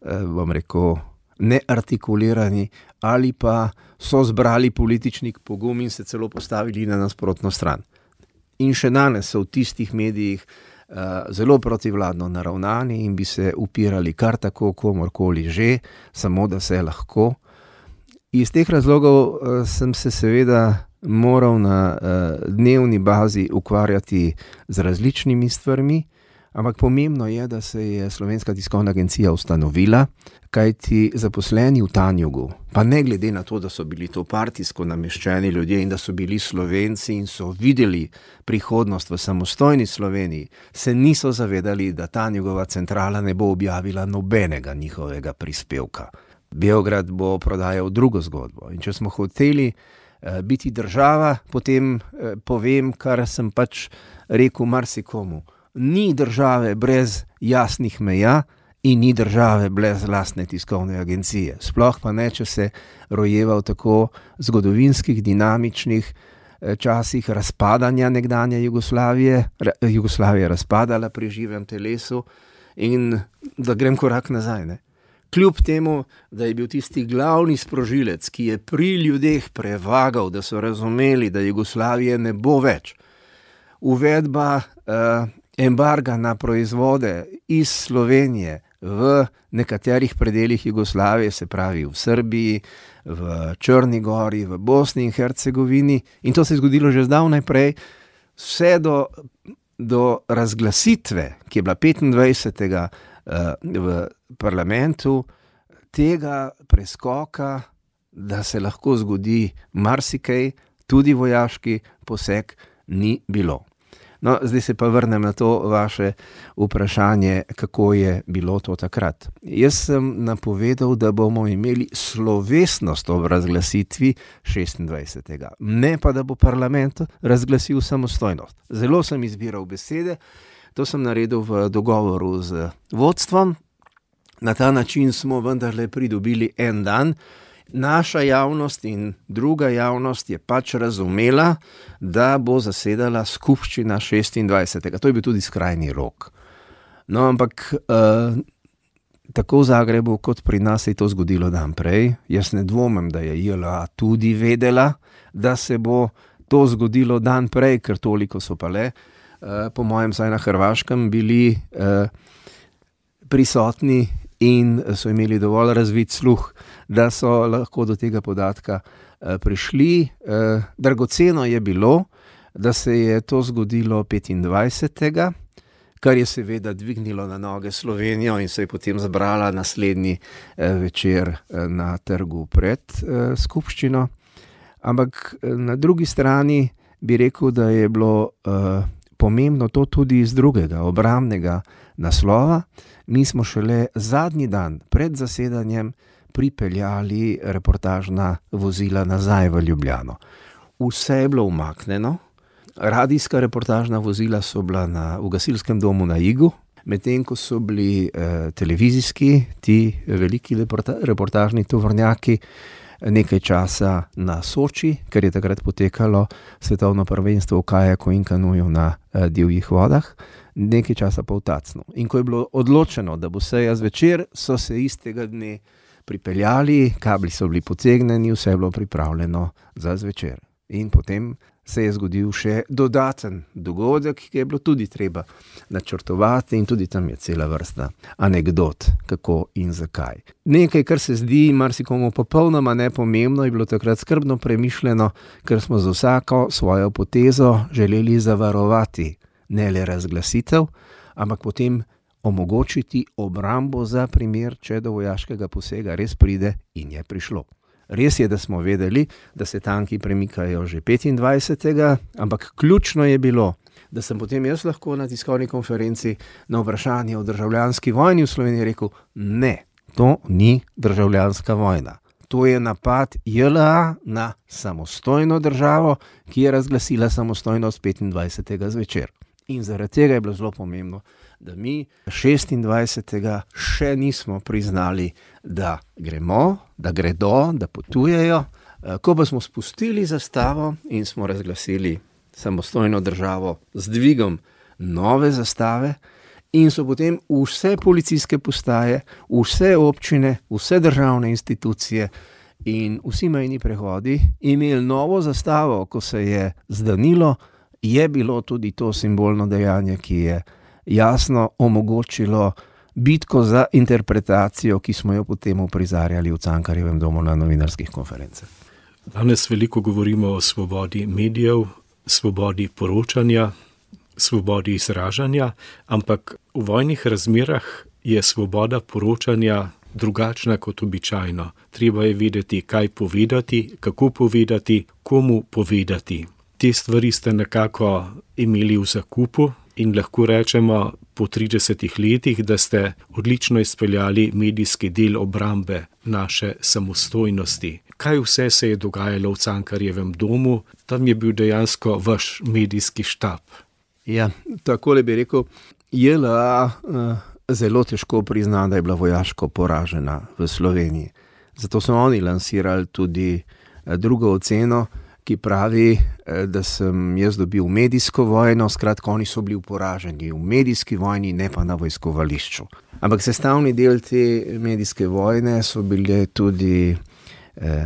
bom rekel, neartikulirani ali pa so zbrali politični pogum in se celo postavili na nasprotno stran. In še danes so v tistih medijih zelo protivladno naravnani in bi se upirali kar tako komorkoli že, samo da se lahko. Iz teh razlogov sem se seveda moral na dnevni bazi ukvarjati z različnimi stvarmi, ampak pomembno je, da se je Slovenska tiskovna agencija ustanovila, kajti zaposleni v Tanjugu, pa ne glede na to, da so bili to partijsko nameščeni ljudje in da so bili Slovenci in so videli prihodnost v samostojni Sloveniji, se niso zavedali, da Tanjugova centrala ne bo objavila nobenega njihovega prispevka. Beograd bo prodajal drugo zgodbo. In če smo hoteli biti država, potem povem, kar sem pač rekel marsikomu. Ni države brez jasnih meja in ni države brez lastne tiskovne agencije. Sploh pa ne, če se rojeva v tako zgodovinskih, dinamičnih časih razpadanja nekdanje Jugoslavije. Jugoslavija je razpadala pri živem telesu in da grem korak nazaj, ne. Kljub temu, da je bil tisti glavni sprožilec, ki je pri ljudeh prevagal, da so razumeli, da Jugoslavije ne bo več, uvedba embarga na proizvode iz Slovenije v nekaterih predelih Jugoslavije, se pravi v Srbiji, v Črni gori, v Bosni in Hercegovini, in to se je zgodilo že zdavnaj prej, vse do razglasitve, ki je bila 25. V parlamentu, tega preskoka, da se lahko zgodi marsikaj, tudi vojaški poseg, ni bilo. No, zdaj se pa vrnem na to vaše vprašanje, kako je bilo to takrat. Jaz sem napovedal, da bomo imeli slovesnost ob razglasitvi 26. Ne pa, da bo parlament razglasil samostojnost. Zelo sem izbiral besede. To sem naredil v dogovoru z vodstvom. Na ta način smo vendarle pridobili en dan. Naša javnost in druga javnost je pač razumela, da bo zasedala skupščina 26. To je bil tudi skrajni rok. No, ampak tako v Zagrebu kot pri nas se je to zgodilo dan prej. Jaz ne dvomim, da je JLA tudi vedela, da se bo to zgodilo dan prej, ker toliko so pa le, po mojem, saj na Hrvaškem bili prisotni in so imeli dovolj razvit sluh, da so lahko do tega podatka prišli. Dragoceno je bilo, da se je to zgodilo 25. kar je seveda dvignilo na noge Slovenijo in se je potem zbrala naslednji večer na trgu pred skupščino. Ampak na drugi strani bi rekel, da je bilo pomembno to tudi iz drugega, obrambnega naslova. Mi smo šele zadnji dan pred zasedanjem pripeljali reportažna vozila nazaj v Ljubljano. Vse je bilo umaknjeno. Radijska reportažna vozila so bila v gasilskem domu na Igu. Medtem ko so bili televizijski, ti veliki reportažni tovornjaki, nekaj časa na Soči, ker je takrat potekalo svetovno prvenstvo v kajaku in kanuju na divjih vodah, nekaj časa pa v Tacnu. In ko je bilo odločeno, da bo seja zvečer, so se istega dne pripeljali, kabli so bili potegnjeni, vse je bilo pripravljeno za zvečer. In potem se je zgodil še dodaten dogodek, ki je bilo tudi treba načrtovati, in tudi tam je cela vrsta anekdot, kako in zakaj. Nekaj, kar se zdi marsikomu popolnoma nepomembno, je bilo takrat skrbno premišljeno, ker smo z vsako svojo potezo želeli zavarovati ne le razglasitev, ampak potem omogočiti obrambo za primer, če do vojaškega posega res pride, in je prišlo. Res je, da smo vedeli, da se tanki premikajo že 25. Ampak ključno je bilo, da sem potem jaz lahko na tiskovni konferenci na vprašanje o državljanski vojni v Sloveniji rekel, ne, to ni državljanska vojna. To je napad JLA na samostojno državo, ki je razglasila samostojnost 25. zvečer. In zaradi tega je bilo zelo pomembno, da mi 26. še nismo priznali, da gremo, da gredo, da potujejo. Ko pa smo spustili zastavo in smo razglasili samostojno državo z dvigom nove zastave, in so potem vse policijske postaje, vse občine, vse državne institucije in vsi mejni prehodi imeli novo zastavo, ko se je zdanilo, je bilo tudi to simbolno dejanje, ki je jasno omogočilo bitko za interpretacijo, ki smo jo potem uprizarjali v Cankarjevem domu na novinarskih konferencah. Danes veliko govorimo o svobodi medijev, svobodi poročanja, svobodi izražanja, ampak v vojnih razmerah je svoboda poročanja drugačna kot običajno. Treba je vedeti, kaj povedati, kako povedati, komu povedati. Te stvari ste nekako imeli v zakupu in lahko rečemo po 30 letih, da ste odlično izpeljali medijski del obrambe naše samostojnosti. Kaj vse se je dogajalo v Cankarjevem domu? Tam je bil dejansko vaš medijski štab. Ja, takole bi rekel, JLA zelo težko prizna, da je bila vojaško poražena v Sloveniji. Zato so oni lansirali tudi drugo oceno, ki pravi, da sem jaz dobil medijsko vojno, skratka, oni so bili poraženi v medijski vojni, ne pa na vojskovališču. Ampak sestavni del te medijske vojne so bile tudi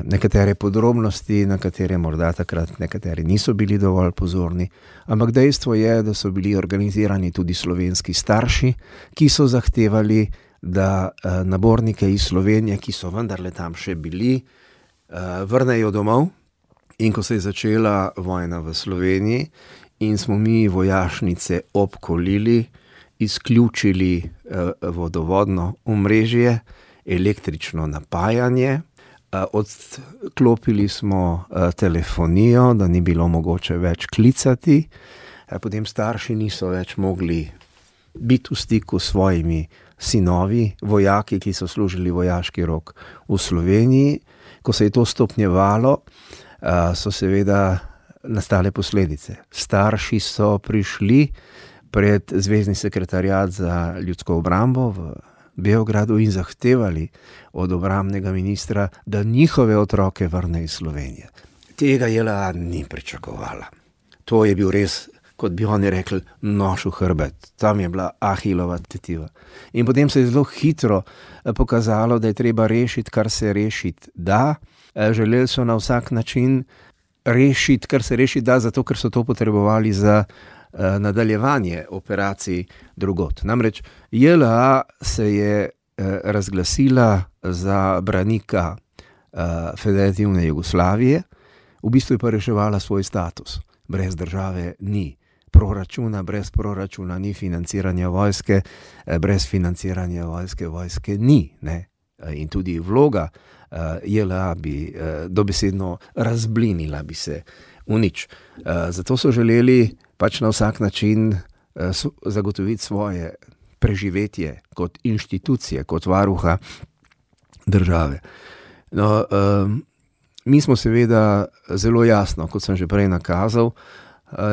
nekatere podrobnosti, na katere morda takrat nekateri niso bili dovolj pozorni, ampak dejstvo je, da so bili organizirani tudi slovenski starši, ki so zahtevali, da nabornike iz Slovenije, ki so vendarle tam še bili, vrnejo domov. In ko se je začela vojna v Sloveniji in smo mi vojašnice obkolili, izključili vodovodno omrežje, električno napajanje, odklopili smo telefonijo, da ni bilo mogoče več klicati, potem starši niso več mogli biti v stiku s svojimi sinovi, vojaki, ki so služili vojaški rok v Sloveniji. Ko se je to stopnjevalo, so seveda nastale posledice. Starši so prišli pred Zvezni sekretariat za ljudsko obrambo v Beogradu in zahtevali od obrambnega ministra, da njihove otroke vrne iz Slovenije. Tega JLA ni pričakovala. To je bil res, kot bi oni rekli, nož v hrbet. Tam je bila Ahilova tetiva. In potem se je zelo hitro pokazalo, da je treba rešiti, kar se rešiti da. Želeli so na vsak način rešiti, kar se rešiti da, zato ker so to potrebovali za nadaljevanje operacij drugod. Namreč JLA se je razglasila za branika Federativne Jugoslavije, v bistvu je pa reševala svoj status. Brez države ni proračuna, brez proračuna ni financiranja vojske, brez financiranja vojske ni, ne? In tudi vloga JLA bi dobesedno razblinila bi se v nič. Zato so želeli pač na vsak način zagotoviti svoje preživetje kot inštitucije, kot varuha države. No, mi smo seveda zelo jasno, kot sem že prej nakazal,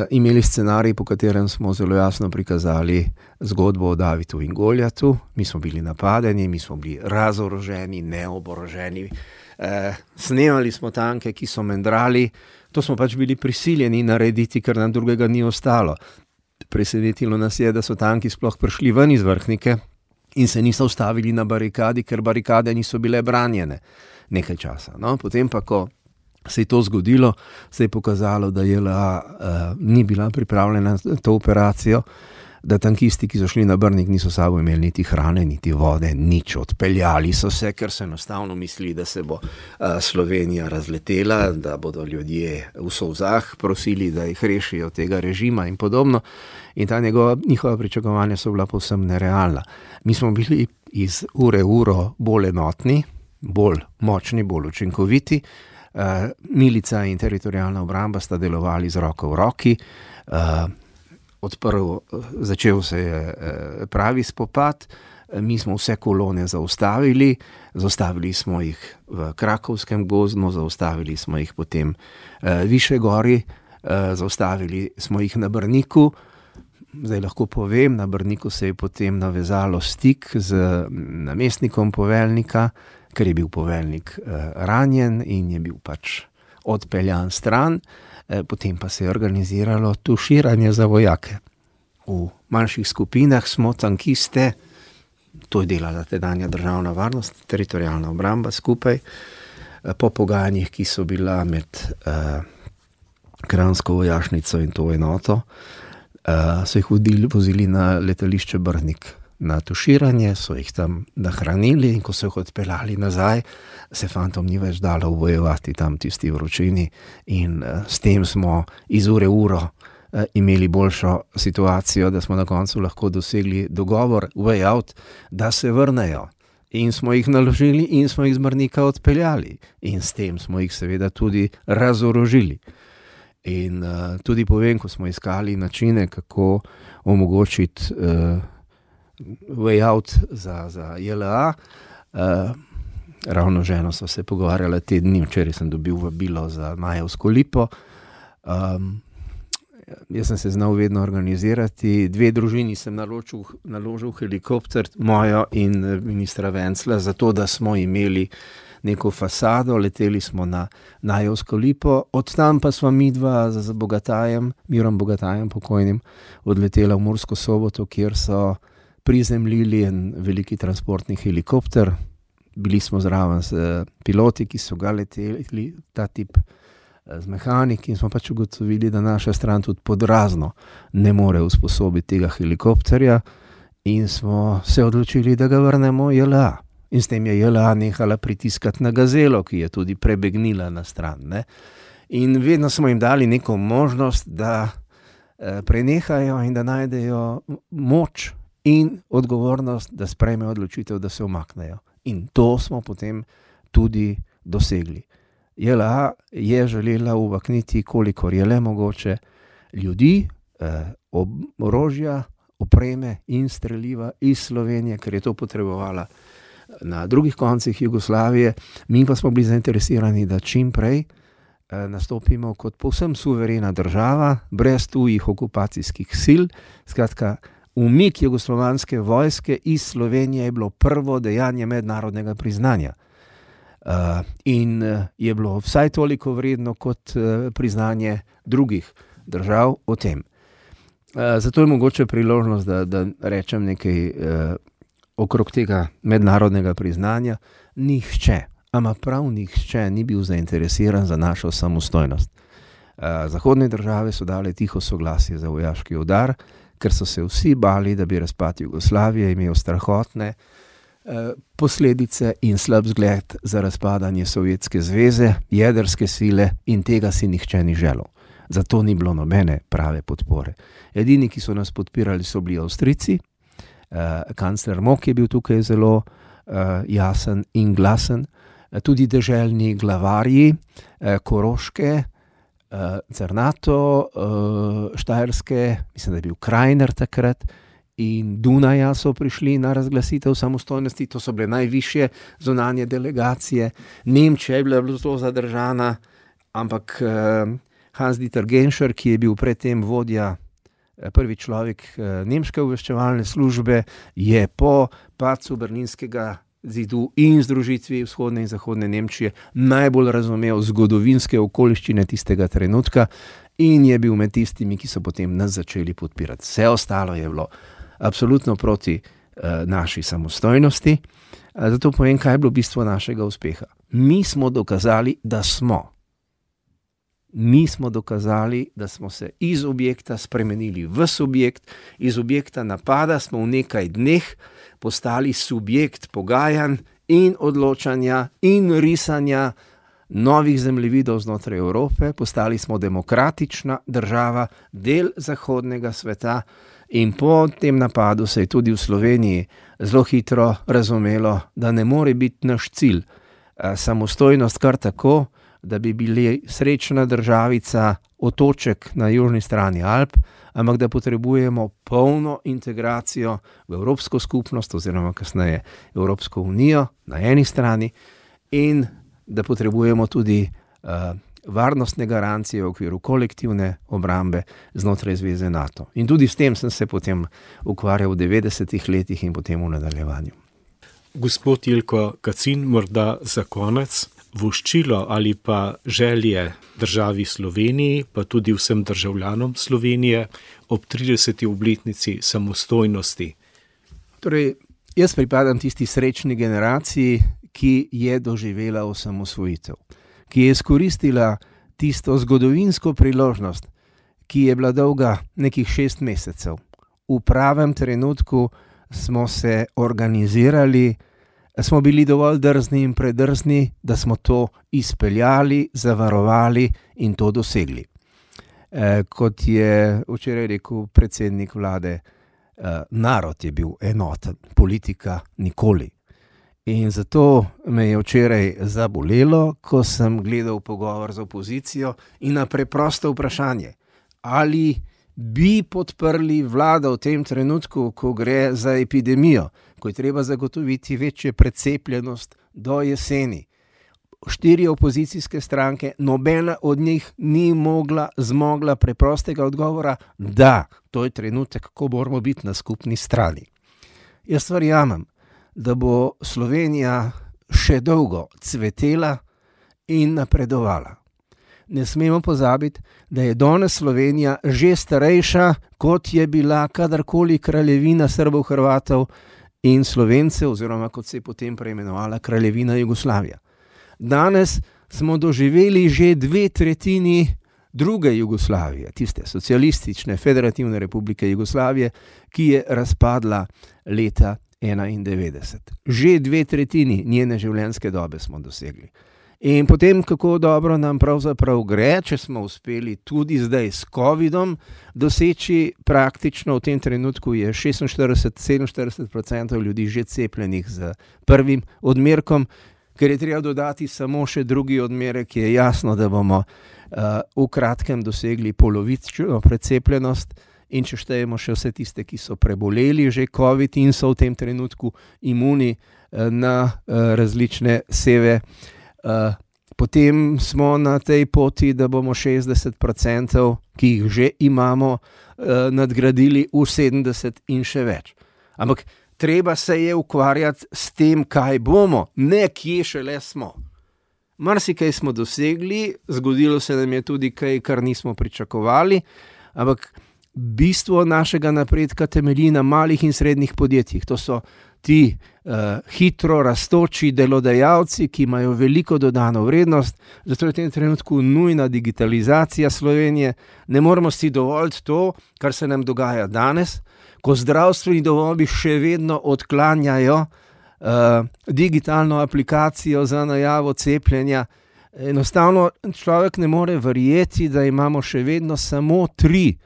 imeli scenarij, po katerem smo zelo jasno prikazali zgodbo o Davidu in Goljatu. Mi smo bili napadeni, mi smo bili razoroženi, neoboroženi. Snemali smo tanke, ki so mendrali. To smo pač bili prisiljeni narediti, ker nam drugega ni ostalo. Presenetilo nas je, da so tanki sploh prišli ven iz Vrhnike in se niso ustavili na barikadi, ker barikade niso bile branjene nekaj časa. No, potem pa, ko se je to zgodilo, se je pokazalo, da JLA ni bila pripravljena na to operacijo, da tankisti, ki so šli na Brnik, niso sabo imeli niti hrane, niti vode, nič. Odpeljali so se, ker so enostavno mislili, da se bo Slovenija razletela, da bodo ljudje v solzah prosili, da jih rešijo tega režima in podobno. In ta njihova pričakovanja so bila povsem nerealna. Mi smo bili iz ure v uro bolj enotni, bolj močni, bolj učinkoviti. Milica in teritorialna obramba sta delovali z roko v roki. Začel se je pravi spopad, mi smo vse kolone zaustavili smo jih v Krakovskem gozdu, zaustavili smo jih potem više gori, zaustavili smo jih na Brniku. Zdaj lahko povem, na Brniku se je potem navezalo stik z namestnikom poveljnika, ker je bil poveljnik ranjen in je bil pač odpeljan stran. Potem pa se je organiziralo tuširanje za vojake. V manjših skupinah smo tankiste, to je delala tedanja državna varnost, teritorialna obramba skupaj, po pogajanjih, ki so bila med Kranjsko vojašnico in to enoto, so jih vozili na letališče Brnik na tuširanje, so jih tam nahranili in ko so jih odpeljali nazaj, se fantom ni več dalo bojevati tam tisti vročini in s tem smo iz ure v uro imeli boljšo situacijo, da smo na koncu lahko dosegli dogovor, way out, da se vrnejo. In smo jih naložili in smo jih z Brnika odpeljali. In s tem smo jih seveda tudi razorožili. In tudi povem, ko smo iskali načine, kako omogočiti way out za JLA, ravno ženo so se pogovarjala te dni, včeraj sem dobil vabilo za Majevsko lipo. Jaz sem se znal vedno organizirati. 2 družini sem naložil helikopter, mojo in ministra Vencla, zato da smo imeli neko fasado, leteli smo na Najevsko lipo, od tam pa sva midva z Bogatajem, Mirom Bogatajem pokojnim, odletela v Mursko Soboto, kjer so prizemljili en veliki transportni helikopter. Bili smo zraven s piloti, ki so ga leteli, ta tip z mehaniki, in smo pač ugotovili, da naša stran tudi pod razno ne more usposobiti tega helikopterja in smo se odločili, da ga vrnemo JLA. In s tem je JLA nehala pritiskati na Gazelo, ki je tudi prebegnila na stran. Ne? In vedno smo jim dali neko možnost, da prenehajo in da najdejo moč in odgovornost, da sprejmejo odločitev, da se umaknejo. In to smo potem tudi dosegli. JLA je želela umakniti, kolikor je le mogoče, ljudi, orožja, opreme in streliva iz Slovenije, ker je to potrebovala na drugih koncih Jugoslavije. Mi pa smo bili zainteresirani, da čim prej nastopimo kot povsem suverena država, brez tujih okupacijskih sil. Skratka, umik jugoslovanske vojske iz Slovenije je bilo prvo dejanje mednarodnega priznanja. In je bilo vsaj toliko vredno kot priznanje drugih držav o tem. Zato je mogoče priložnost, da rečem nekaj okrog tega mednarodnega priznanja. Nihče, ama prav nihče ni bil zainteresiran za našo samostojnost. Zahodne države so dale tiho soglasje za vojaški udar, ker so se vsi bali, da bi razpad Jugoslavije imel strahotne posledice in slab zgled za razpadanje Sovjetske zveze, jedrske sile, in tega si nihče ni želel. Zato ni bilo nobene prave podpore. Edini, ki so nas podpirali, so bili Avstrijci. Kancler Mok je bil tukaj zelo jasen in glasen. Tudi deželni glavarji Koroške, Cernato, Štajerske, mislim, da je bil Krajner takrat, in Dunaja so prišli na razglasitev samostojnosti. To so bile najvišje zunanje delegacije. Nemčija je bila zelo zadržana, ampak Hans-Dieter Genscher, ki je bil predtem vodja, prvi človek nemške obveščevalne službe, je po padcu Berlinskega zidu in združitvi vzhodne in zahodne Nemčije najbolj razumel zgodovinske okoliščine tistega trenutka in je bil med tistimi, ki so potem nas začeli podpirati. Vse ostalo je bilo absolutno proti naši samostojnosti. Zato povem, kaj je bilo bistvo našega uspeha. Mi smo dokazali, da smo. Mi smo dokazali, da smo se iz objekta spremenili v subjekt, iz objekta napada smo v nekaj dneh postali subjekt pogajanj in odločanja in risanja novih zemljevidov znotraj Evrope, postali smo demokratična država, del zahodnega sveta in po tem napadu se je tudi v Sloveniji zelo hitro razumelo, da ne more biti naš cilj samostojnost kar tako, da bi bili srečna državica, otoček na južni strani Alp, ampak da potrebujemo polno integracijo v Evropsko skupnost oziroma kasneje Evropsko unijo na eni strani in da potrebujemo tudi varnostne garancije v okviru kolektivne obrambe znotraj zveze NATO. In tudi s tem sem se potem ukvarjal v 90-ih letih in potem v nadaljevanju. Gospod Jelko Kacin, morda za konec, voščilo ali pa želje državi Sloveniji, pa tudi vsem državljanom Slovenije ob 30. obletnici samostojnosti. Torej, jaz pripadam tisti srečni generaciji, ki je doživela osamosvojitev, ki je izkoristila tisto zgodovinsko priložnost, ki je bila dolga nekih 6 mesecev. V pravem trenutku smo se organizirali, smo bili dovolj drzni in predrzni, da smo to izpeljali, zavarovali in to dosegli. Kot je včeraj rekel predsednik vlade, narod je bil enoten, politika nikoli. In zato me je včeraj zabolelo, ko sem gledal pogovor z opozicijo in na preprosto vprašanje, ali bi podprli vlado v tem trenutku, ko gre za epidemijo, ko je treba zagotoviti večjo precepljenost do jeseni. 4 opozicijske stranke, nobena od njih ni zmogla preprostega odgovora, da, to je trenutek, ko moramo biti na skupni strani. Jaz verjamem, da bo Slovenija še dolgo cvetela in napredovala. Ne smemo pozabiti, da je danes Slovenija že starejša, kot je bila kadarkoli kraljevina Srbov, Hrvatov in Slovencev, oziroma kot se je potem preimenovala kraljevina Jugoslavija. Danes smo doživeli že 2/3 druge Jugoslavije, tiste socialistične federativne republike Jugoslavije, ki je razpadla leta 1991. Že 2/3 njene življenjske dobe smo dosegli. In potem, kako dobro nam pravzaprav gre, če smo uspeli tudi zdaj s COVID-om doseči, praktično v tem trenutku je 46-47% ljudi že cepljenih z prvim odmerkom, ker je treba dodati samo še drugi odmerek, je jasno, da bomo v kratkem dosegli polovično precepljenost. In če štejemo še vse tiste, ki so preboleli že COVID in so v tem trenutku imuni na različne seve, potem smo na tej poti, da bomo 60%, ki jih že imamo, nadgradili v 70 in še več. Ampak treba se je ukvarjati s tem, kaj bomo, ne kje šele smo. Marsikaj smo dosegli, zgodilo se nam je tudi kaj, kar nismo pričakovali, ampak bistvo našega napredka temelji na malih in srednjih podjetjih. To so ti hitro rastoči delodajalci, ki imajo veliko dodano vrednost, zato je v tem trenutku nujna digitalizacija Slovenije. Ne moremo si dovoliti to, kar se nam dogaja danes, ko zdravstveni domovi še vedno odklanjajo digitalno aplikacijo za najavo cepljenja. Enostavno človek ne more verjeti, da imamo še vedno samo 3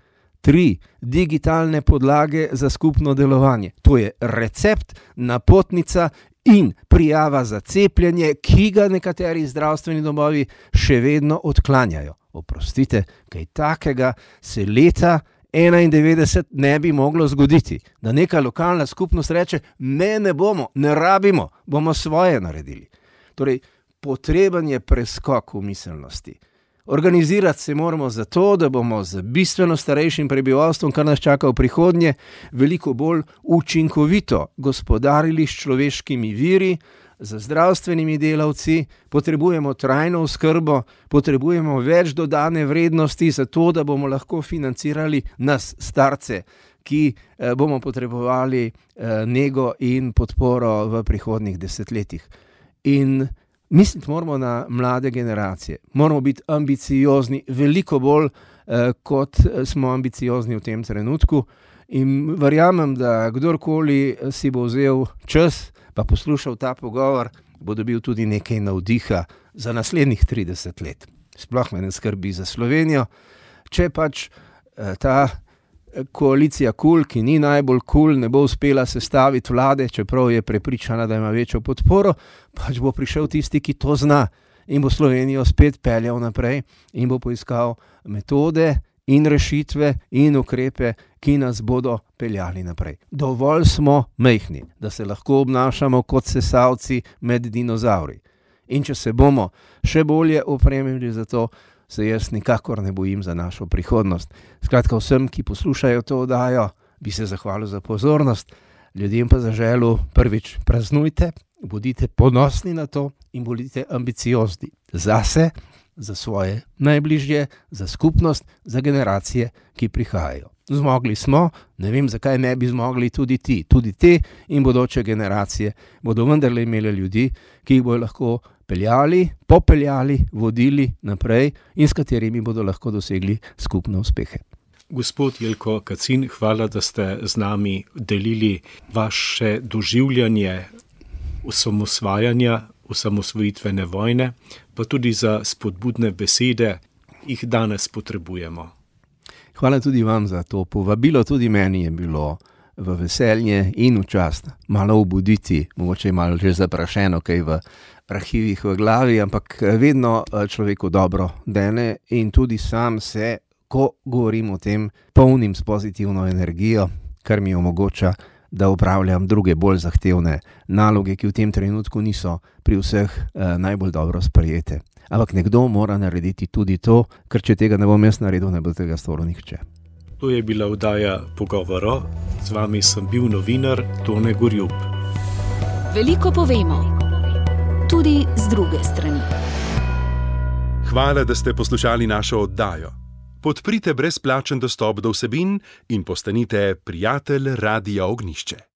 digitalne podlage za skupno delovanje. To je recept, napotnica in prijava za cepljenje, ki ga nekateri zdravstveni domovi še vedno odklanjajo. Oprostite, kaj takega se leta 1991 ne bi moglo zgoditi. Da neka lokalna skupnost reče, ne bomo, ne rabimo, bomo svoje naredili. Torej, potreben je preskok v miselnosti. Organizirati se moramo zato, da bomo z bistveno starejšim prebivalstvom, kar nas čaka v prihodnje, veliko bolj učinkovito gospodarili s človeškimi viri, z zdravstvenimi delavci, potrebujemo trajno oskrbo, potrebujemo več dodane vrednosti za to, da bomo lahko financirali nas starce, ki bomo potrebovali nego in podporo v prihodnjih desetletjih. In misliti moramo na mlade generacije, moramo biti ambiciozni, veliko bolj kot smo ambiciozni v tem trenutku, in verjamem, da kdorkoli si bo vzel čas pa poslušal ta pogovor, bo dobil tudi nekaj navdiha za naslednjih 30 let. Sploh me ne skrbi za Slovenijo, če pač ta koalicija KUL, ki ni najbolj KUL, ne bo uspela sestaviti vlade, čeprav je prepričana, da ima večjo podporo, pač bo prišel tisti, ki to zna in bo Slovenijo spet peljal naprej in bo poiskal metode in rešitve in ukrepe, ki nas bodo peljali naprej. Dovolj smo majhni, da se lahko obnašamo kot sesalci med dinozavri. In če se bomo še bolje opremili za to, se jaz nikakor ne bojim za našo prihodnost. Skratka, vsem, ki poslušajo to oddajo, bi se zahvalil za pozornost, ljudem pa zaželel: prvič, praznujte, bodite ponosni na to in bodite ambiciozni zase, za svoje najbližje, za skupnost, za generacije, ki prihajajo. Zmogli smo, ne vem, zakaj ne bi zmogli tudi ti. Tudi te in bodoče generacije bodo vendarle imeli ljudi, ki jih bodo lahko peljali, popeljali, vodili naprej in s katerimi bodo lahko dosegli skupne uspehe. Gospod Jelko Kacin, hvala, da ste z nami delili vaše doživljanje osamosvajanja, osamosvojitvene vojne, pa tudi za spodbudne besede, jih danes potrebujemo. Hvala tudi vam za to povabilo, tudi meni je bilo v veselje in v čast malo obuditi, mogoče malo že zaprašeno kaj v arhivih v glavi, ampak vedno človeku dobro dene in tudi sam se, ko govorim o tem, polnim s pozitivno energijo, kar mi omogoča, da upravljam druge bolj zahtevne naloge, ki v tem trenutku niso pri vseh najbolj dobro sprejete. Ampak nekdo mora narediti tudi to, ker če tega ne bom jaz naredil, ne bo tega storil nihče. To je bila oddaja Pogovoro. Z vami sem bil novinar Tone Gorjup. Veliko povemo, tudi z druge strani. Hvala, da ste poslušali našo oddajo. Podprite brezplačen dostop do vsebin in postanite prijatelj Radia Ognjišče.